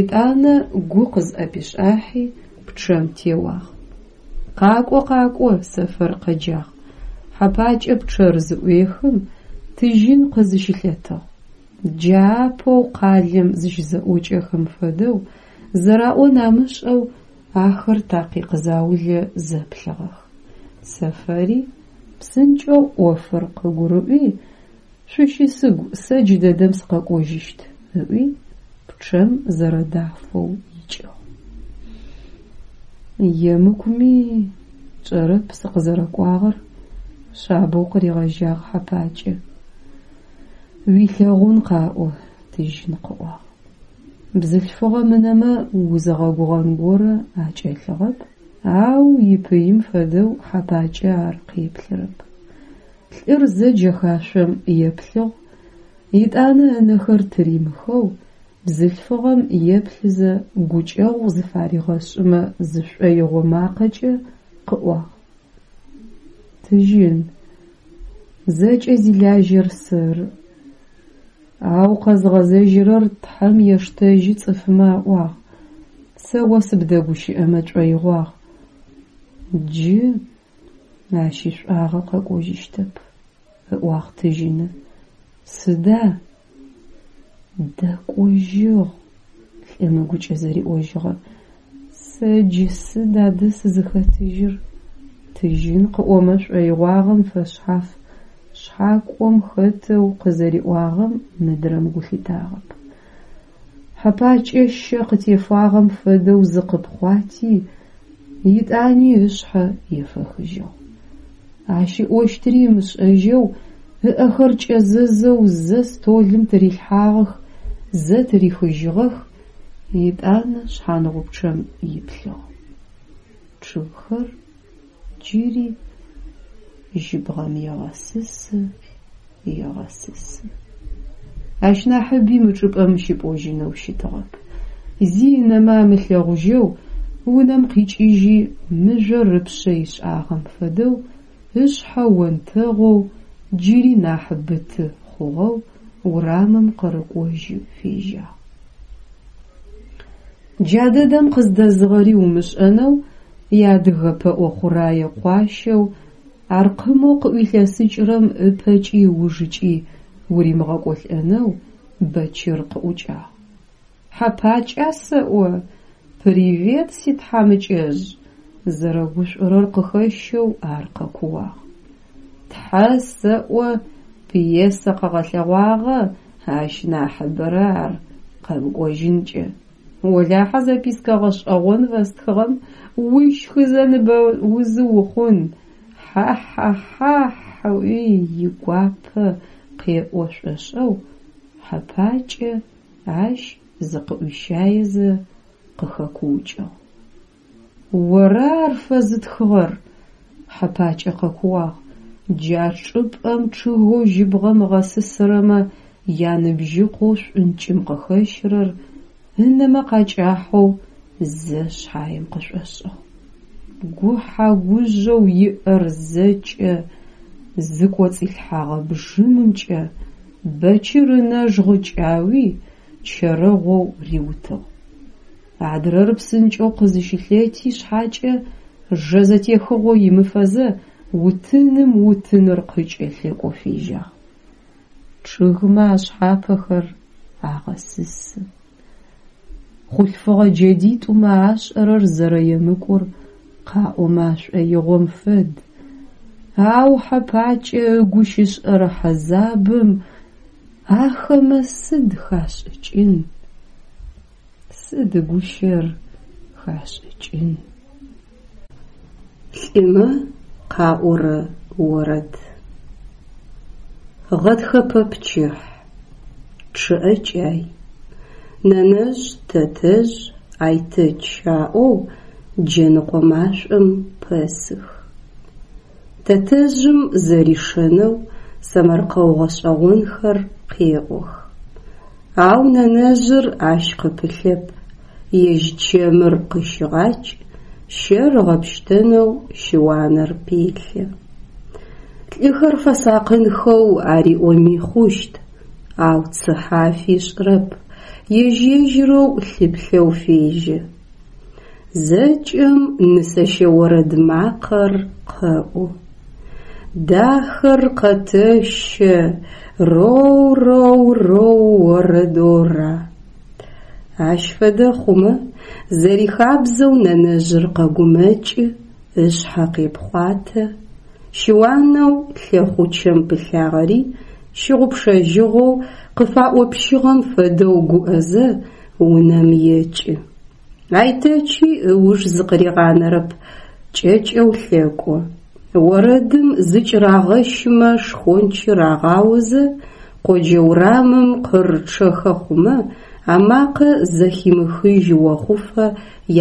Етӏанэ гу къызӏэпишӏахьи, пчъэм теуагъ. Къакӏо, къакӏо, Сэфэр къэджагъ. Хьэпакӏэ пчъэр зыӏуехым, Тыжьын къызыщылъэтыгъ. Джа апэу къалэм зыщызэӏокӏэхэм фэдэу, зэраӏон амышӏэу ахэр такъикъ заулэ зэплъыгъэх. Сэфэри псынкӏэу ӏофыр къыгурыӏуи, шъущысыгу, сэ джыдэдэм сыкъэкӏожьыщт, ыӏуи, пчъэм зэрэдафэу икӏыгъ. Емыкӏуми тшӏэрэп сыкъызэрэкӏуагъэр, шъабэу къыригъэжьагъ Хьэпакӏэ. Уилъэгъун къаӏо, Тыжьын къыӏуагъ. Бзылъфыгъэм ынэмэ узыгъэгугъэн горэ акӏэлъыгъэп, ау ипыим фэдэу Хьэпакӏэ ар къеплъырэп. Лӏыр зэ джэхашъом еплъыгъ, етӏанэ ынэхэр тыримыхэу бзылъфыгъэм еплъызэ гукӏэгъу зыфаригъэшӏымэ зышӏоигъо макъэкӏэ къыӏуагъ. Тыжьын, зэкӏэ зилажьэр сэры. Ау къэзгъэзэжьырэр Тхьэм ештэжьы цӏыфмэ аӏуагъ. Сэ о сыбдэгущыӏэмэ тшӏоигъуагъ. Джы ащ ишӏуагъэ къэкӏожьыщтэп, ыӏуагъ Тыжьыны. Сыда? Дэкӏожьыгъ, лӏым ыгукӏэ зэриӏожьыгъэ. Сэ джы сыд адэ сызыхэтыжьыр? Тыжьын къыӏомэ шӏоигъуагъэм фэшъхьаф шъхьакӏом хэтэу къызэриӏуагъэм мыдрэм гу лъитагъэп. Хьэпакӏэ щэ къытефагъэм фэдэу зыкъыпхъуати, етӏани ышъхьэ ефэхыжьыгъ. Ащ ыӏощтыри ымышӏэжьэу, ыӏэхэр кӏэзэзэу зэ столым тырилъхьагъэх, зэ тырихыжьыгъэх, етӏанэ шъхьангъупчъэм иплъыгъ. Чъыгхэр джыри жьыбгъэм егъэсысы, егъэсысы. Ащ нахьыби мы чӏыпӏэм щыпӏожьынэу щытыгъэп. Зи ынэмэ амылъэгъужьэу унэм къикӏыжьи, мыжъор ыпшъэ ишӏагъэм фэдэу ышъхьэ онтэгъоу, джыри нахь быты хъугъэу урамым къырыкӏожьы фежьагъ. Джа дэдэм къыздэзыгъэри умышӏэнэу иадыгэ пэӏо хъурае къуащэу аркъымэу къыӏуилъэсыкӏырэм ыпэкӏи ыужыкӏи уримыгъэкӏолӏэнэу Бэчыр къыӏукӏагъ. Хьэпакӏа сэӏо? Привет, ситхьамыкӏэжъ! Зэрэгушӏорэр къыхэщэу ар къэкууагъ. Тхьэ сэӏо, пьесэ къэгъэлъэгъуагъэ, ащ нахьыбэрэ ар къэмыкӏожьынкӏэ. Олахьэ запискэ гъэшӏэгъон фэстхыгъэм ущхызэ ныбэузы ухъун, хьа-хьа-хьахь ыӏуи игуапэ къеӏо шӏошӏэу, Хьэпакӏэ ащ зыкъыӏуищаезэ къыхэкуукӏыгъ. Ора ар фэзытхыгъэр? Хьэпакӏэ къэкууагъ. Джа чӏыпӏэм чъыгэу жьыбгъэм ыгъэсысырэмэ яныбжьыкъоу шӏункӏым къыхэщырэр ынэмэ къакӏахьэу зэ шъхьаем къышӏошӏыгъ. Гухьа-гужъэу иӏэр зэкӏэ зыкӏоцӏилъхьэгъэ бжьымымкӏэ Бэчыр ынэжгъ кӏауи, чэрэгъоу риутыгъ. Адрэр псынкӏэу къызыщылъэти шъхьакӏэ, жэ зэтехыгъо имыфэзэ, утыным утыныр къыкӏэлъекӏоу фежьагъ. Чъыгмэ ашъхьапэхэр агъэсысы. Хъулъфыгъэ джэдитӏумэ ашӏэрэр зэрэемыкӏур къаӏомэ ашӏоигъом фэд, ау Хьэпакӏэ ыгу щышӏэрэ хьэзабым ахэмэ сыд хашӏыкӏын? Сыд гущэр хашӏыкӏын? Лӏымэ къаӏорэ орэд. Гъэтхэпэ пчыхь. Чъыӏэкӏай. Нэнэжъ, тэтэжъ, Айтэч аӏоу джэныкъо машӏом пэсых. Тэтэжъым зэришэнэу сэмэркъэу гъэшӏэгъонхэр къеӏох. Ау нэнэжъыр ащ къыпылъэп. Ежь чэмыр къыщыгъакӏ, щэр ыгъэпщтэнэу щыуанэр пелъэ. Лӏыхэр фэсакъынхэу ариӏоми хъущт, ау цыхьэ афишӏырэп, ежь-ежьырэу лъыплъэу фежьэ. Зэкӏэм нысэщэ орэд макъэр къэӏу. Дахэр къэтэщэ, роу-роу-роу орэдора. Ащ фэдэ хъумэ, зэрихабзэу нэнэжъыр къэгумэкӏы, ышъхьэ къепхъуатэ, щыуанэу лъэхъучэм пылъагъэри щыгъупшэжьыгъэу къыфаӏопщыгъэм фэдэу гуӏэзэ унэм екӏы. Айтэчи ыуж зыкъыригъанэрэп, кӏэкӏэу лъэкӏо. Орэдым зыкӏырагъэщымэ шхончыр агъаозэ, къоджэ урамым къырычъэхэ хъумэ, амакъэ зэхимыхыжь охъуфэ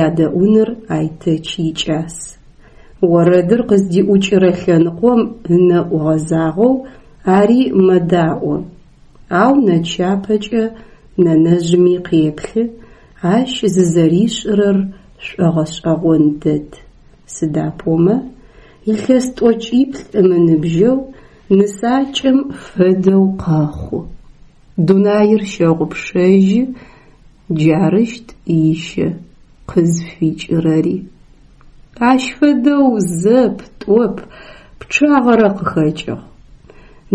ядэӏуныр Айтэч икӏас. Орэдыр къыздиӏукӏырэ лъэныкъом ынэӏу гъэзагъэу ари мэдаӏо. Ау нэчапэкӏэ нэнэжъми къеплъы, ащ зызэришӏырэр шӏогъэшӏэгъон дэд. Сыда пӏомэ, илъэс тӏокӏиплӏ ымыныбжьэу нысакӏэм фэдэу къэхъу. Дунаир щэгъупшэжьы, джарыщт ищэ къызфикӏырэри. Ащ фэдэу зэп, тӏоп, пчъагъэрэ къыхэкӏыгъ.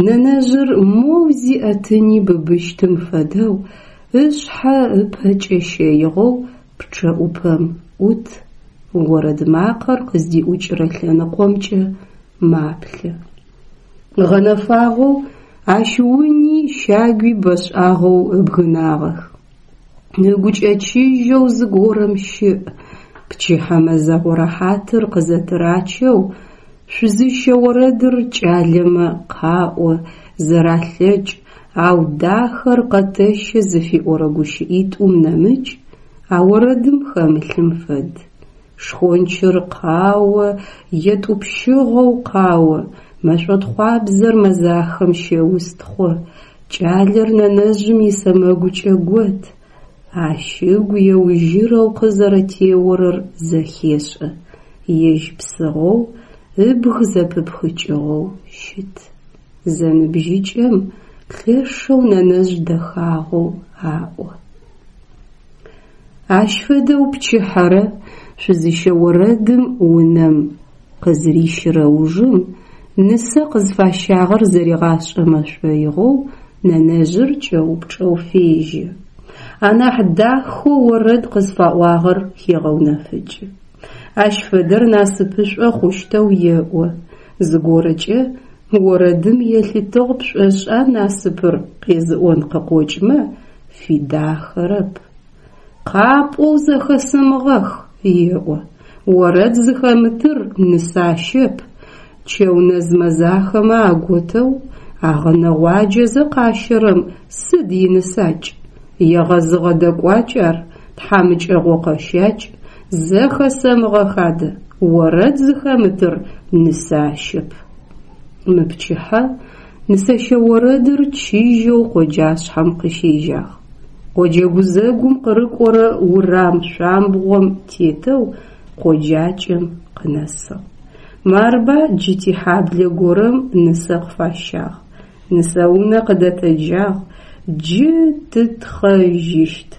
Нэнэжъыр моу зиӏэтыни быбыщтым фэдэу ышъхьэ ыпэкӏэ щэигъэу пчъэӏупэм ӏут, орэд макъэр къыздиӏукӏырэ лъэныкъомкӏэ маплъэ. Гъэнэфагъэу ащ уни щагуи бэшӏагъэу ыбгынагъэх. Ыгукӏэ чыжьэу зыгорэм щыӏ, пчыхьэ мэзэгъо рэхьатыр къызэтырачэу шъузыщэ орэдыр кӏалэмэ къаӏо, зэралъэкӏ, ау дахэр къэтэщэ зыфиӏорэ гущыӏитӏум нэмыкӏ а орэдым хэмылъым фэд. Шхончыр къао, етӏупщыгъэу къао, мэшӏотхъуабзэр мэзахэм щеустхъо, кӏалэр нэнэжъым исэмэгукӏэ гот, ащ ыгу еужьырэу къызэрэтеорэр зэхешӏэ, ежь псыгъоу, ыбг зэпыпхыкӏыгъэу щыт. Зэныбжьыкӏэм лъэшэу нэнэжъ дэхагъэу аӏо. Ащ фэдэу пчыхьэрэ шъузыщэ орэдым унэм къызырищырэ ужым нысэ къызфащагъэр зэригъашӏэмэ шӏоигъоу нэнэжъыр кӏэупчӏэу фежьэ. Анахь дахэу орэд къызфаӏуагъэр хегъэунэфыкӏы. Ащ фэдэр насыпышӏо хъущтэу еӏо. Зыгорэкӏэ орэдым елъытыгъ пшӏошӏа насыпыр къезыӏон къыкъокӏмэ, фидахэрэп. Къапӏоу зэхэсэмыгъэх, еӏо, орэд зыхэмытыр нысащэп, чэунэз мэзахэмэ аготэу агъэнэгъуаджэзэ къащэрэм сыд инысакӏ? Егъэзыгъэ дэкӏуакӏ ар, тхьамыкӏэгъо къэщакӏ, зэхэсэмыгъэх адэ, орэд зыхэмытыр нысащэп. Мыпчыхьэ нысэщэ орэдыр чыжьэу къоджашъхьэм къыщежьагъ. Къоджэ гузэгум къырыкӏорэ урам шъуамбгъом тетэу къоджакӏэм къынэсыгъ. Марба джы тихьаблэ горэм нысэ къыфащагъ, нысэунэ къыдэтэджагъ, джы тытхъэжьыщт.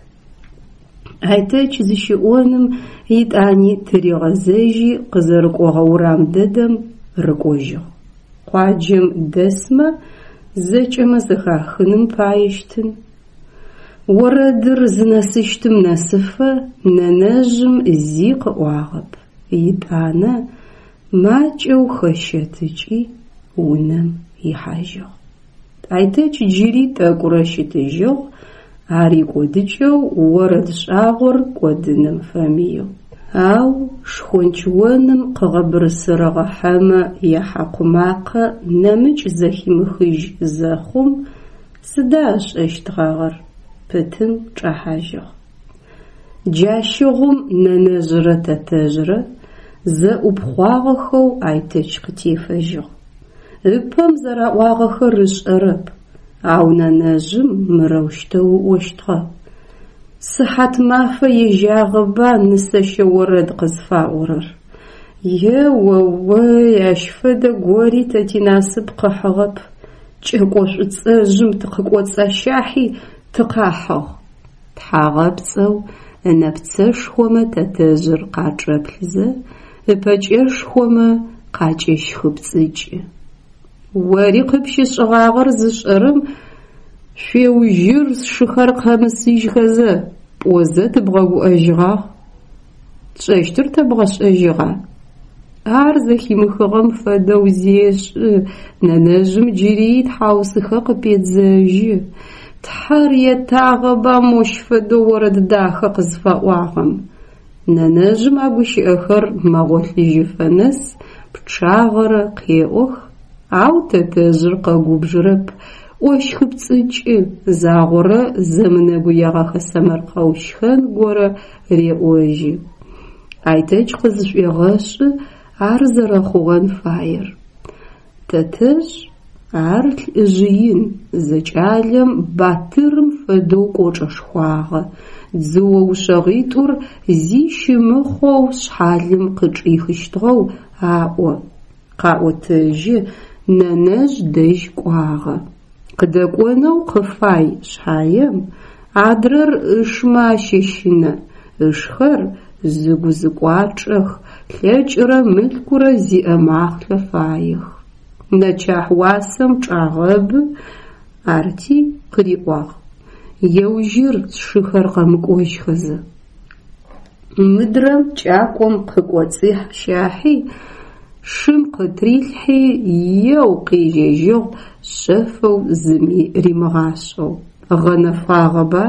Айтэч зыщиӏоным етӏани тыригъэзэжьи къызэрыкӏогъэ урам дэдэм рыкӏожьыгъ. Къуаджэм дэсмэ зэкӏэмэ зэхахыным паещтын. Орэдыр зынэсыщтым нэсыфэ нэнэжъым зи къыӏуагъэп, етӏанэ макӏэу хэщэтыкӏи унэм ихьажьыгъ. Айтэч джыри тӏэкӏурэ щытыжьыгъ, ар икӏодыкӏэу орэд шӏагъор кӏодыным фэмыеу. Ау шхонч оным къыгъэбырысырыгъэ хьэмэ яхьакъу макъэ нэмыкӏ зэхимыхыжь зэхъум, сыда ышӏэщтгъагъэр, пытым чӏэхьажьыгъ. Джащыгъум нэнэжърэ тэтэжърэ зэӏупхъуагъэхэу Айтэч къытефэжьыгъ. Ыпэм зэраӏуагъэхэр ышӏэрэп, ау нэнэжъым мырэущтэу ыӏощтыгъэ. Сыхьатмафэ ежьагъэба нысэщэ орэд къызфаӏорэр. Е-о-ой, ащ фэдэ гори тэ тинасып къыхьыгъэп, кӏэко шӏуцӏэжъым тыкъыкӏоцӏащахьи тыкъахьыгъ. Тхьагъэпцӏэу ынэпцэшхомэ тэтэжъыр къачӏэплъызэ, ыпэкӏэшхомэ къакӏэщхыпцӏыкӏы. Ори къыпщышӏыгъагъэр зышӏэрэм шъуеужьыр, сшыхэр къэмысыжьхэзэ, пӏозэ тыбгъэгуӏэжьыгъагъ. Тшӏэщтыр тэбгъэшӏэжьыгъа? Ар зэхимыхыгъэм фэдэу зешӏы, нэнэжъым джыри итхьаусыхэ къыпедзэжьы. Тхьэр етагъэба мощ фэдэу орэд дахэ къызфаӏуагъэм. Нэнэжъым а гущыӏэхэр мэгъолъыжьыфэ нэс пчъагъэрэ къеӏох, ау тэтэжъыр къэгубжырэп, ӏощхыпцӏыкӏы, загъорэ зэмынэгуегъэхэ сэмэркъэу щхэн горэ реӏожьы. Айтэч къызшӏуегъэшӏы ар зэрэхъугъэн фаер. Тэтэжъ, ар лӏыжъ ин, зэкӏалэм батырым фэдэу кӏочӏэшхуагъэ, дзыо ушъэгъитӏур зи щымыхъоу шъхьалым къычӏихыщтыгъэу аӏо, къаӏотэжьы, нэнэжъ дэжь кӏуагъэ. Къыдэкӏонэу къыфай шъхьаем, адрэр ышмэ ащэщынэ, ышхэр зыгу-зыкӏуачӏэх, лъэкӏырэ мылъкурэ зиӏэ махълъэ фаех. Нэчахь уасэм чӏагъэбы, арти къыриӏуагъ: Еужьыр, сшыхэр къэмыкӏожьхэзэ. Мыдрэм кӏакӏом къыкӏоцӏищахьи, шым къытрилъхьи, еу къежьэжьыгъ шъэфэу зыми римыгъашӏэу. Гъэнэфагъэба,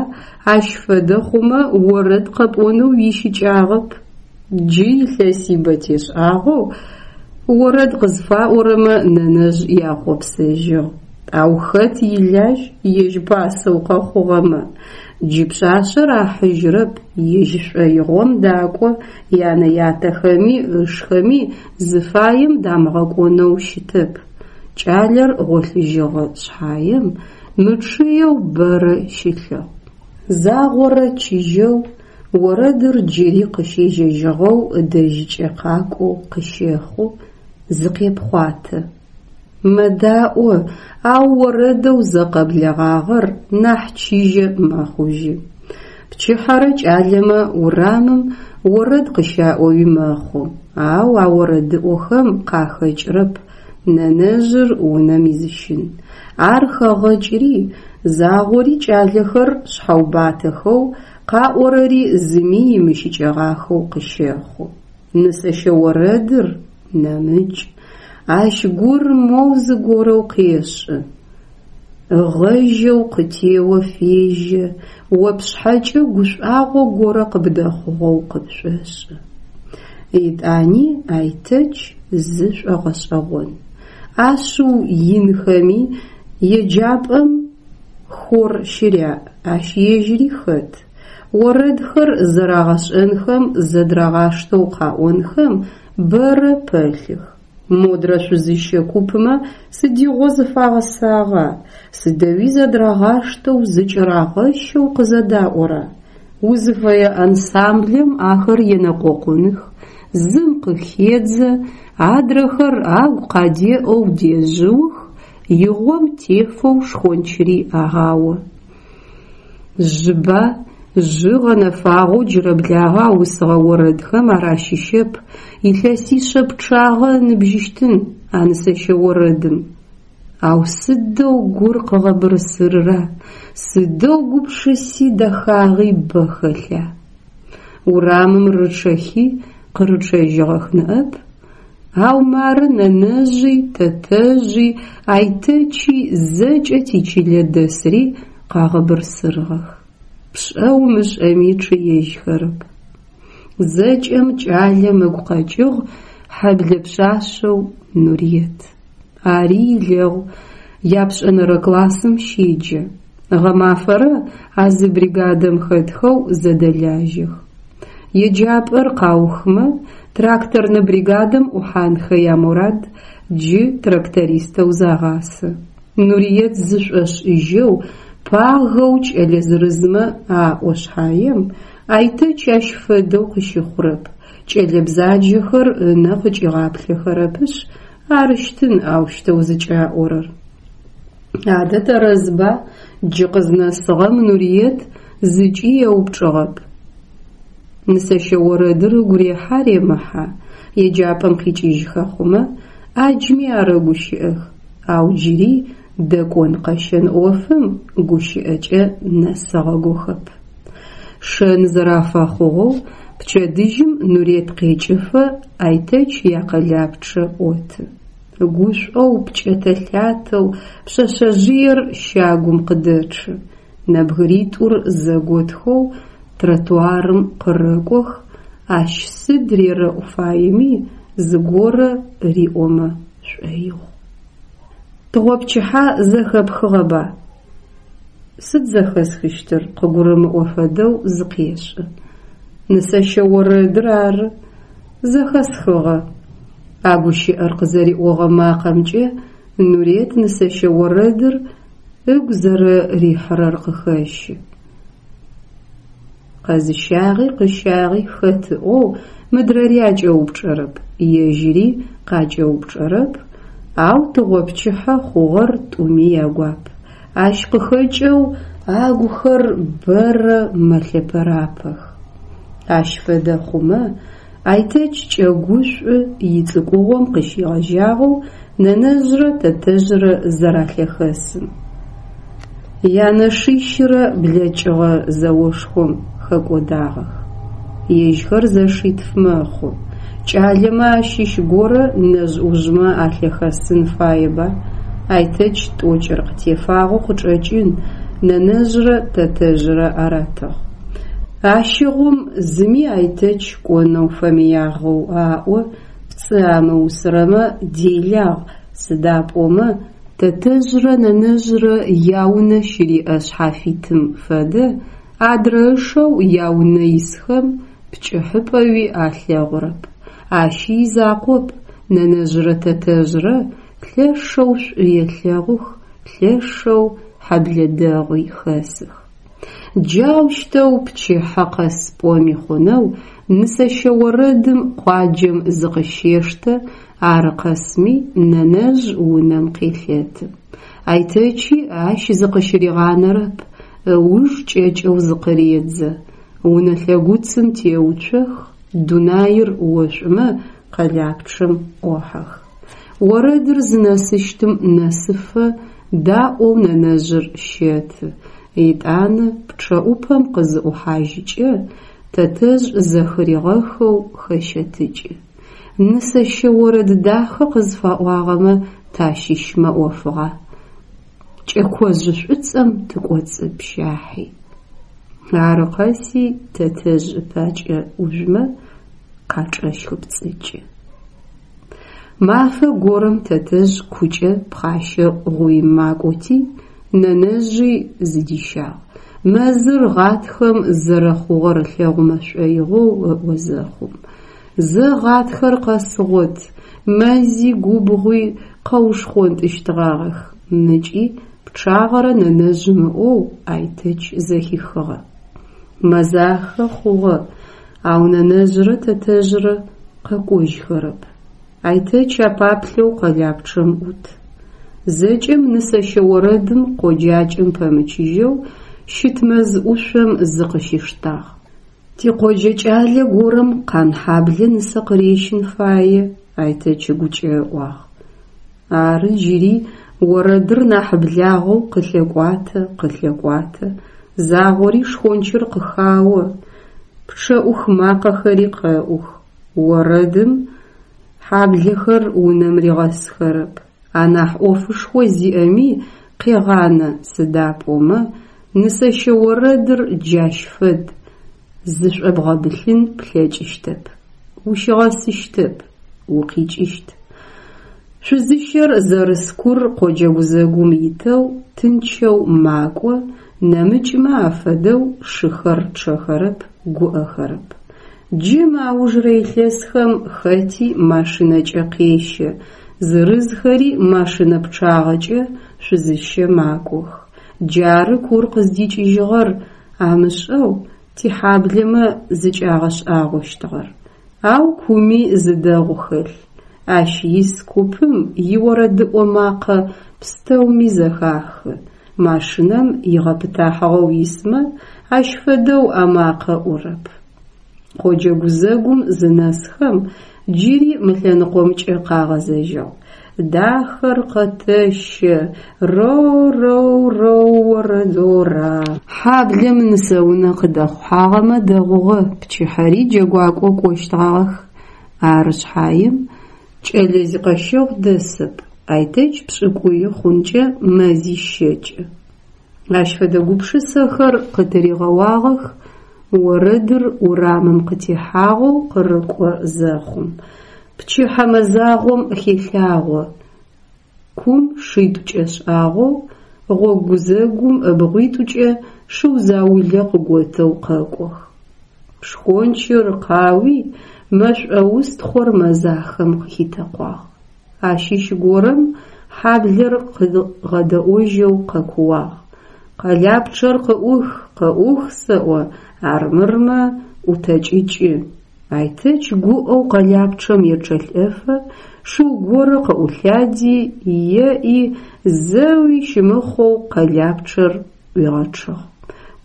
ащ фэдэ хъумэ орэд къэпӏонэу уищыкӏагъэп. Джы илъэсибэ тешӏагъэу орэд къызфаӏорэмэ нэнэжъ яхъопсэжьыгъ. Ау хэт илажь ежь пасэу къэхъугъэмэ? Джы пшъашъэр ахьыжьырэп, ежь шӏоигъом дакӏо, янэ-ятэхэми ышхэми зыфаем дамыгъэкӏонэу щытэп. Кӏалэр гъолъыжьыгъэ шъхьаем, мычъыеу бэрэ щылъыгъ. Загъорэ чыжьэу орэдыр джыри къыщежьэжьыгъэу ыдэжькӏэ къакӏоу къыщэхъу, зыкъепхъуатэ. Мэдаӏо, ау орэдэу зэ къэблэгъагъэр нахь чыжьэ мэхъужьы. Пчыхьэрэ кӏалэмэ урамым орэд къыщаӏоуи мэхъу, ау а орэдыӏохэм къахэкӏырэп нэнэжъыр унэм изыщын. Ар хэгъэкӏри, загъори кӏалэхэр шъхьэубатэхэу, къаӏорэри зыми имыщыкӏэгъахэу къыщэхъу. Нысэщэ орэдыр нэмыкӏ, ащ гур моу зыгорэу къешӏы, ыгъэжьэу къытео фежьэ, о пшъхьэкӏэ гушӏуагъо горэ къыбдэхъугъэу къыпшӏошӏы. Етӏани Айтэч зы шӏогъэшӏэгъон. Ашъыу инхэми еджапӏэм хор щыряӏ, ащ ежьыри хэт. Орэдхэр зэрагъэшӏэнхэм зэдырагъаштэу къаӏонхэм бэрэ пэлъых. Модрэ шъузыщэ купмэ сыдигъо зыфагъэсагъа, сыдэуи зэдырагъаштэу зыкӏырагъэщэу къызэдаӏора? Узыфэе ансамблэм ахэр енэкъокъуных, зым къыхедзэ, адрэхэр агу къадеӏэу дежъыух, игъом тефэу шхончыри агъао. Жьыба, жьы гъэнэфагъэу джырэблагъэ аусыгъэ орэдхэм ар ащыщэп, илъэсишъэ пчъагъэ ыныбжьыщтын а нысэщэ орэдым. Ау сыдэу гур къыгъэбырысырра, сыдэу гупшыси дэхагъи бэ хэлъа! Урамым рычъэхи къырычъэжьыгъэх ныӏэп, ау мары нэнэжъи, тэтэжъи, Айтэчи, зэкӏэ тичылэ дэсри къагъэбырсырыгъэх. Пшӏэ умышӏэми чъыежьхэрэп. Зэкӏэм кӏалэм ыгу къэкӏыгъ хьэблэ пшъашъэу Нуриет. Ари илэгъу, япшӏэнэрэ классым щеджэ. Гъэмафэрэ а зы бригадэм хэтхэу зэдэлажьэх. Еджапӏэр къаухмэ, тракторнэ бригадэм ӏухьанхэ ямурад, джы трактористэу загъасэ. Нуриет зышӏошӏыжьэу Пагэу кӏэлэ зырызмэ аӏо шъхьаем, Айтэч ащ фэдэу къыщыхъурэп, кӏэлэ бзаджэхэр ынэ къыкӏигъаплъэхэрэпышъ арыщтын аущтэу зыкӏаӏорэр. Адэ тэрэзба, джы къызнэсыгъэм Нуриет зыкӏи еупчӏыгъэп. Нысэщэ орэдыр ыгу рехьа ремыхьа, еджапӏэм къикӏыжьхэ хъумэ, ӏаджми арэгущыӏэх, ау джыри дэкӏон-къэщэн ӏофым гущыӏэкӏэ нэсыгъэгохэп. Шэн зэрафэхъугъэу, пчэдыжьым Нурет къекӏыфэ Айтэч якъэлапчъэ ӏоты. Гушӏоу, пкӏэтэ-лъатэу пшъэшъэжъыер щагум къыдэчъы. Нэбгыритӏур зэготхэу тротуарым къырэкӏох, ащ сыд рерэӏу фаеми, зыгорэ риӏомэ шӏоигъу. Тыгъопчыхьэ зэхэпхыгъэба? Сыд зэхэсхыщтыр? Къыгурымыӏо фэдэу зыкъешӏы. Нысэщэ орэдыр ары. Зэхэсхыгъэ. А гущыӏэр къызэриӏогъэ макъэмкӏэ Нурет нысэщэ орэдыр ыгу зэрэрихьырэр къыхэщы. Къэзыщагъи къыщагъи хэт ыӏоу мыдрэри акӏэупчӏэрэп, ежьыри къакӏэупчӏэрэп, ау тыгъопчыхьэ хъугъэр тӏуми ягуап. Ащ къыхэкӏэу агухэр бэрэ мэлъэпэрапэх. Ащ фэдэ хъумэ, Айтэч кӏэгушӏу ицӏыкӏугъом къыщегъэжьагъэу нэнэжърэ тэтэжърэ зэралъэхэсым. Янэшищырэ блэкӏыгъэ зэошхом хэкӏодагъэх. Ежьхэр зэшитф мэхъу. Кӏалэмэ ащыщ горэ нэжъ-ӏужъмэ алъэхэсын фаеба? Айтэч тӏокӏыр къытефагъэу къычӏэкӏын, нэнэжърэ тэтэжърэ аратыгъ. Ащыгъум зыми Айтэч кӏонэу фэмыягъэу аӏо, пцӏы амыусырэмэ делагъ, сыда пӏомэ тэтэжърэ нэнэжърэ яунэ щыриӏэ шъхьафитым фэдэ адрэ ышэу яунэ исхэм пкӏыхьыпӏэуи алъэгъурэп. Ащи изакъоп, нэнэжърэ тэтэжърэ лъэшэу шӏу елъэгъух, лъэшэу хьэблэ дэгъуи хэсых. Джаущтэу пчыхьэ къэс пӏоми хъунэу нысэщэ орэдым къуаджэм зыкъыщештэ, ары къэсми нэнэжъ унэм къелъэты. Айтэчи ащ зыкъыщыригъанэрэп, ыуж кӏэкӏэу зыкъыредзэ. Унэ лъэгуцым теуцох, дунаир ошӏумэ къэлапчъэм ӏохьэх. Орэдыр зынэсыщтым нэсыфэ даӏоу нэнэжъыр щэты, етӏанэ пчъэӏупэм къызыӏухьажьыкӏэ, тэтэжъ зэхыригъэхэу хэщэтыкӏы. Нысэщэ орэд дахэ къызфаӏуагъэмэ тащыщмэ ӏофыгъа, кӏэкожъ шӏуцӏэм тыкӏоцӏыпщахьи. Ары къэси тэтэжъ ыпакӏэ ӏужъумэ къачӏэщхыпцӏыкӏы. Мафэ горэм тэтэжъ кукӏэ пхъащэ гъуим макӏоти, нэнэжъи зыдищагъ. Мэзыр гъатхэм зэрэхъугъэр ылъэгъумэ шӏоигъоу ыӏо зэхъум. Зэ гъатхэр къэсыгъот, мэзи губгъуи къэушхъонтӏыщтыгъагъэх, мыкӏи пчъагъэрэ нэнэжъым ыӏоу Айтэч зэхихыгъэ. Мэзахэ хъугъэ, ау нэнэжърэ тэтэжърэ къэкӏожьхэрэп. Айтэч апаплъэу къэлапчъэм ӏут. Зэкӏэм нысэщэ орэдым къоджакӏэм пэмычыжьэу щыт мэз ӏушъом зыкъыщиштагъ. Тикъоджэ кӏалэ горэм Къанхьаблэ нысэ къырещын фае, Айтэч ыгукӏэ ыӏуагъ. Ары джыри орэдыр нахь благъэу къылъэкӏуатэ, къылъэкӏуатэ, загъори шхончыр къыхао, пчъэӏух макъэхэри къэӏух. Орэдым хьаблэхэр унэм ригъэсхэрэп, анахь ӏофышхо зиӏэми къегъанэ, сыда пӏомэ нысэщэ орэдыр джащ фэд, зышӏобгъэбылъын плъэкӏыщтэп, ущигъэсыщтэп, укъикӏыщт. Шъузыщэр зэрыс кур къоджэ гузэгум итэу тынчэу макӏо, нэмыкӏмэ афэдэу шыхэр чъэхэрэп, гуӏэхэрэп. Джы мы аужырэ илъэсхэм хэти машинэкӏэ къещэ, зырызхэри машинэ пчъагъэкӏэ шъузыщэ макӏох. Джары кур къыздикӏыжьыгъэр амышӏэу тихьаблэмэ зыкӏагъэшӏагъощтыгъэр. Ау куми зы дэгъу хэлъ, ащ ис купым иорэдыӏо макъэ пстэуми зэхахы, машинэм игъэпытахьыгъэу исмэ ащ фэдэу амакъэ ӏурэп. Къоджэ гузэгум зынэсхэм, джыри мы лъэныкъомкӏэ къагъэзэжьыгъ. Дахэр къэтэщэ, ро-роу-роу-орэдора. Хьаблэм нысэунэ къыдэхъухьагъэмэ дэгъугъэ, пчыхьэри джэгуакӏо кӏощтгъагъэх. Ары шъхьаем, кӏэлэ зикъэщэгъу дэсэп, Айтэч пшӏыкӏуи хъункӏэ мэзищ щэкӏы. Ащ фэдэ гупшысэхэр къытыригъэуагъэх орэдыр урамым къытехьагъэу къырыкӏо зэхъум. Пчыхьэ мэзагъом хелъагъо, кум шитӏу кӏэшӏагъэу, гъогу гузэгум ыбгъуитӏукӏэ шыу заулэ къыготэу къэкӏох. Шхончыр къауи, мэшӏоустхъор мэзахэм къыхитэкъуагъ. Ащыщ горэм хьаблэр къыгъэдэӏожьэу къэкууагъ: Къэлапчъэр къыӏух, къыӏух сэӏо, армырмэ ӏутэкӏыкӏы! Айтэч гуӏэу къэлапчъэм ечъэлӏэфэ шыу горэ къыӏулъади, еӏи, зэуи щымыхъоу къэлапчъэр ӏуигъэчъыгъ.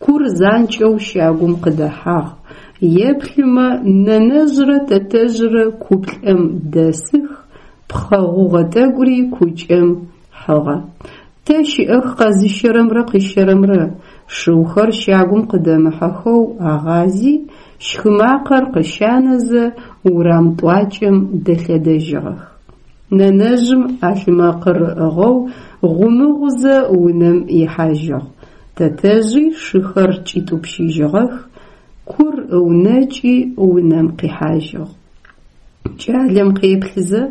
Кур занкӏэу щагум къыдэхьагъ. Еплъымэ, нэнэжърэ тэтэжърэ куплӏэм дэсых, пхъэ гъугъэ тӏэкӏури кукӏэм хьыгъэ. Тэ щыӏэх къэзыщэрэмрэ къыщэрэмрэ? Шыухэр щагум къыдэмыхьэхэу агъази, щхы макъэр къыщанэзэ, урам тӏуакӏэм дэлъэдэжьыгъэх. Нэнэжъым ӏалъмэкъыр ыӏыгъэу гъумыгъузэ унэм ихьажьыгъ. Тэтэжъи шыхэр кӏитӏупщыжьыгъэх, кур ыунэкӏи унэм къихьажьыгъ. Кӏалэм къеплъызэ,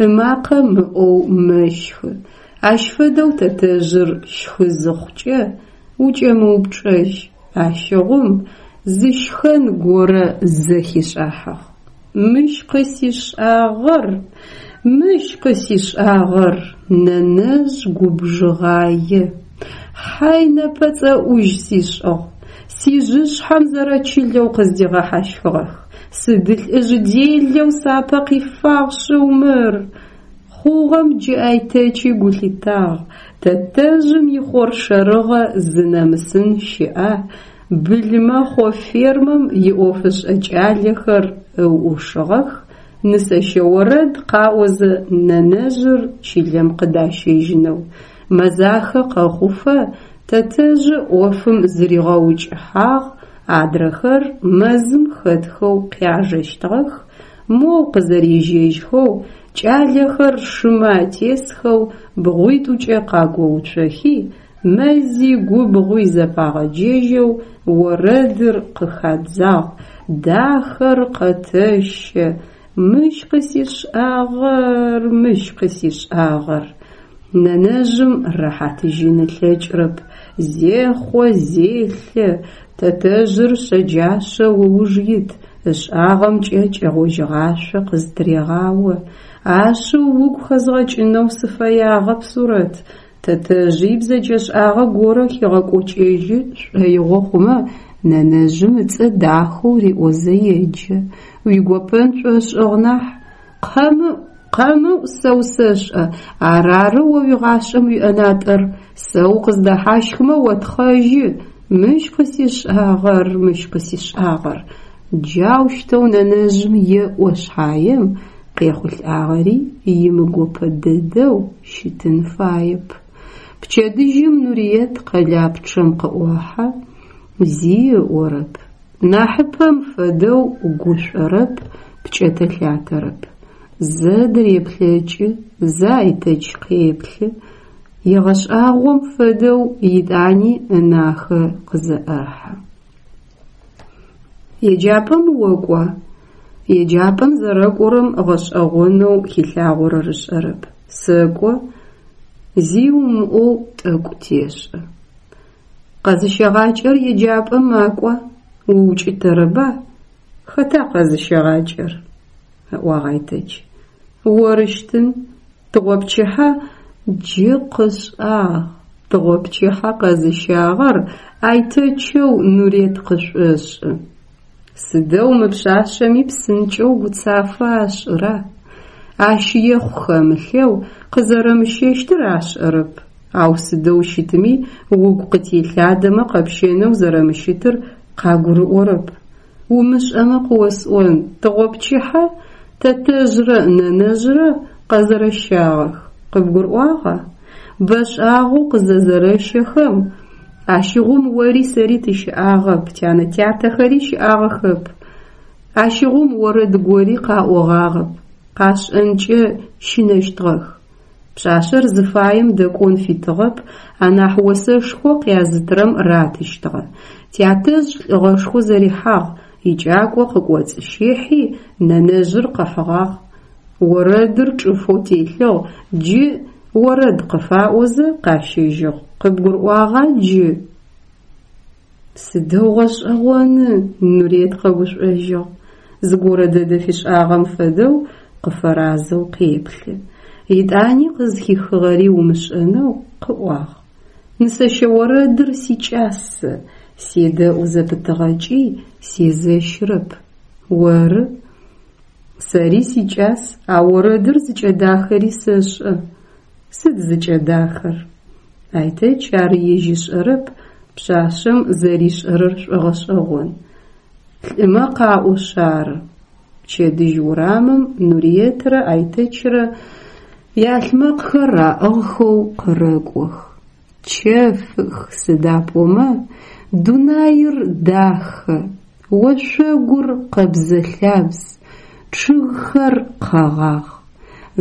ымакъэ мыӏоу мэщхы. Ащ фэдэу тэтэжъыр щхы зыхъукӏэ, укӏэмыупчӏэжь, ащыгъум зы щхэн горэ зэхишӏахьыгъ. Мыщ къысишӏагъэр, мыщ къысишӏагъэр, нэнэжъ губжыгъае, хьайнэпэ цӏэӏужь сишӏыгъ, сижъышъхьэм зэрэчылэу къыздигъэхьащхыгъэх, сыд лӏыжъ делэу сапэ къифагъ шъыу мыр! Хъугъэм джы Айтэчи гу лъитагъ, тэтэжъым ихъоршэрыгъэ зынэмысын щыӏа, былымэхъо фермэм иӏофышӏэ кӏалэхэр ыуӏушыгъэх, нысэщэ орэд къаӏозэ нэнэжъыр чылэм къыдащэжьынэу. Мэзахэ къэхъуфэ тэтэжъы ӏофым зыригъэукӏыхьагъ, адрэхэр мэзым хэтхэу къяжэщтыгъэх, моу къызэрежьэжьхэу, кӏалэхэр шымэ атесхэу бгъуитӏукӏэ къагоуцохи, мэзи губгъуи зэпагъэджэжьэу орэдыр къыхадзагъ, Дахэр къэтэщэ, мыщ къысишӏагъэр, мыщ къысишӏагъэр. Нэнэжъым рэхьатыжьын ылъэкӏрэп, зехъо, зелъэ, тэтэжъыр шъэджашъэу ыуж ит, ышӏагъэмкӏэ кӏэгъожьыгъашъо къызтырегъао. Ашъыу угу хэзгъэкӏынэу сыфэягъэп, Сурэт, Тэтэжъи ибзэджэшӏагъэ горэ хигъэкӏокӏэжьы шӏоигъо хъумэ, нэнэжъым ыцӏэ дахэу риӏозэ еджэ. Уигопэн шӏошӏыгъ нахь. Къэмыӏу, къэмыӏу, сэ усэшӏэ, арары о уигъашӏэм уиӏэнатӏэр, сэ укъыздэхьащхымэ отхъэжьы, мыщ къысишӏагъэр, мыщ къысишӏагъэр. Джаущтэу нэнэжъым еӏо шъхьаем, къехъулӏагъэри имыгопэ дэдэу щытын фаеп. Пчэдыжьым Нуриет къэлапчъэм къыӏохьэ, зи ыӏорэп. Нахьыпэм фэдэу гушӏорэп, пкӏэтэ-лъатэрэп. Зэ дыреплъэкӏы, зэ Айтэч къеплъы, егъэшӏагъом фэдэу етӏани ынахэ къызэӏэхьэ. Еджапӏэм окӏуа? Еджапӏэм зэрэкӏорэм гъэшӏэгъонэу хилъагъорэр ышӏэрэп. Сэкӏо, зи умыӏоу тӏэкӏу тешӏэ. Къэзыщэгъакӏэр еджапӏэм макӏуа? Уукӏытэрэба? Хэта къэзыщэгъакӏэр? ыӏуагъ Айтэч. Орыщтын, тыгъопчыхьэ джы къышӏагъ. Тыгъопчыхьэ къэзыщагъэр Айтэчэу Нурет къышӏошӏы. Сыдэу мы пшъашъэми псынкӏэу гуцафэ ашӏыра? Ащ ехъу хэмылъэу къызэрэмыщэщтыр ашӏэрэп, ау сыдэу щытми угу къытелъадэмэ къэпщэнэу зэрэмыщытыр къагурыӏорэп. Умышӏэмэ къыосӏон, тыгъопчыхьэ тэтэжърэ нэнэжърэ къэзэрэщагъэх, къыбгурыӏуагъа? Бэшӏагъэу къызэзэрэщэхэм, ащыгъум ори сэри тыщыӏагъэп, тянэ-тятэхэри щыӏагъэхэп. Ащыгъум орэд гори къаӏогъагъэп, къашӏэнкӏэ щынэщтыгъэх. Пшъашъэр зыфаем дэкӏон фитыгъэп, анахь осэшхо къязытырэм ратыщтыгъэ. Тятэжъ лӏыгъэшхо зэрихьагъ, икӏакӏо къыкӏоцӏыщихьи, нэнэжъыр къыхьыгъагъ. Орэдыр чӏыфэу телъыгъ, джы орэд къыфаӏозэ къащэжьыгъ. Къыбгурыӏуагъа джы? Сыдэу гъэшӏэгъоны, Нурет къэгушӏожьыгъ. Зыгорэ дэдэ фишӏагъэм фэдэу къыфэразэу къеплъы. Етӏани къызхихыгъэри умышӏэнэу къыӏуагъ. Нысэщэ орэдыр сикӏас сэ, седэӏу зэпытыгъэкӏи сезэщырэп. Оры? Сэри сикӏас, а орэдыр зыкӏэдахэри сэшӏэ. Сыд зыкӏэдахэр? Айтэч ар ежь ышӏэрэп, пшъашъэм зэришӏэрэр шӏогъэшӏэгъон. Лӏымэ къаӏошъ ары. Пчэдыжь урамым Нуриетрэ Айтэчрэ ялъмэкъхэр аӏыгъхэу къырэкӏох. Чэфых, сыда пӏомэ дунаир дахэ, ошъогур къэбзэ-лъабз, чъыгхэр къэгъагъ.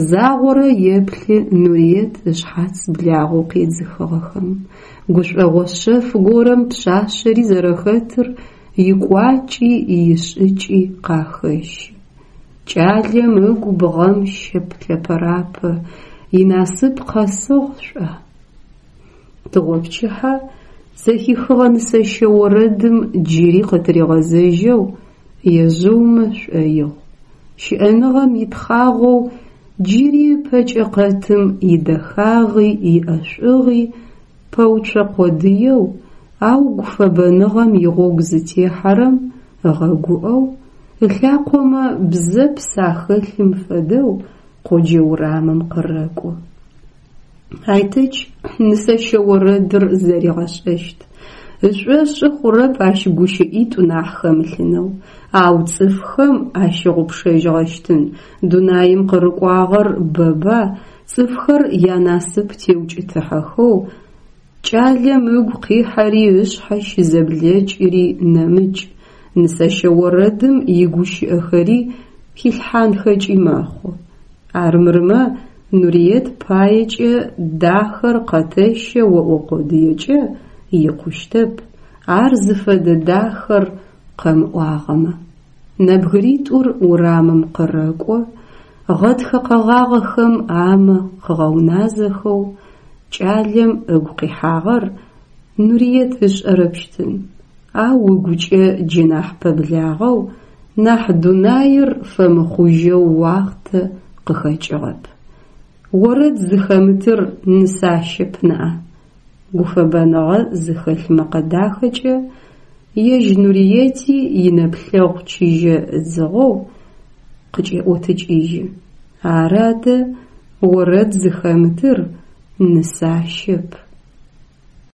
Загъорэ еплъы Нуриет ышъхьац благъэу къедзыхыгъэхэм. Гушӏогъо шъэф горэм пшъашъэри зэрэхэтыр икӏуакӏи ишӏыкӏи къахэщы. Кӏалэм ыгу бгъэм щэлъэпэрапэ, инасып къэсыгъ шӏуа? Тыгъопчыхьэ зэхихыгъэ нысэщэ орэдым джыри къытыригъэзэжьэу ежъыумэ шӏоигъу. Щыӏэныгъэм итхъагъоу джыри ыпэкӏэ къэтым идэхагъи иӏэшӏугъи пэуцо къодыеу, ау гуфэбэныгъэм игъогу зытехьэрэм ыгъэгуӏэу, ылъакъомэ бзэпс ахэлъым фэдэу къоджэ урамым къырэкӏо. Айтэч нысэщэ орэдыр зэригъэшӏэщт. Ышӏошъы хъурэп ащ гущыӏитӏу нахь хэмылъынэу, ау цӏыфхэм ащыгъупшэжьыгъэщтын, дунаим къырыкӏуагъэр бэба, цӏыфхэр янасып теукӏытыхьэхэу, кӏалэм ыгу къихьэри ышъхьэ щызэблэкӏыри нэмыкӏ, нысэщэ орэдым игущыӏэхэри хилъхьанхэкӏи мэхъу. Армырмэ, Нуриет паекӏэ дахэр къэтэщэ оӏо къодыекӏэ икъущтэп, ар зыфэдэ дахэр къэмыӏуагъэмэ. Нэбгыритӏур урамым къырэкӏо, гъэтхэ къэгъагъэхэм амэ къыгъэуназэхэу кӏалэм ыгу къихьагъэр Нуриет ышӏэрэпщтын, ау ыгукӏэ джы нахь пэблагъэу, нахь дунаир фэмыхъужьэу уахътэ къыхэкӏыгъэп. Орэд зыхэмытыр нысащэп ныӏа? Гуфэбэныгъэ зыхэлъ мэкъэ дахэкӏэ ежь Нуриети инэплъэгъу чыжьэ ыдзыгъэу къыкӏеӏотыкӏыжьы. Ары адэ, орэд зыхэмытыр нысащэп.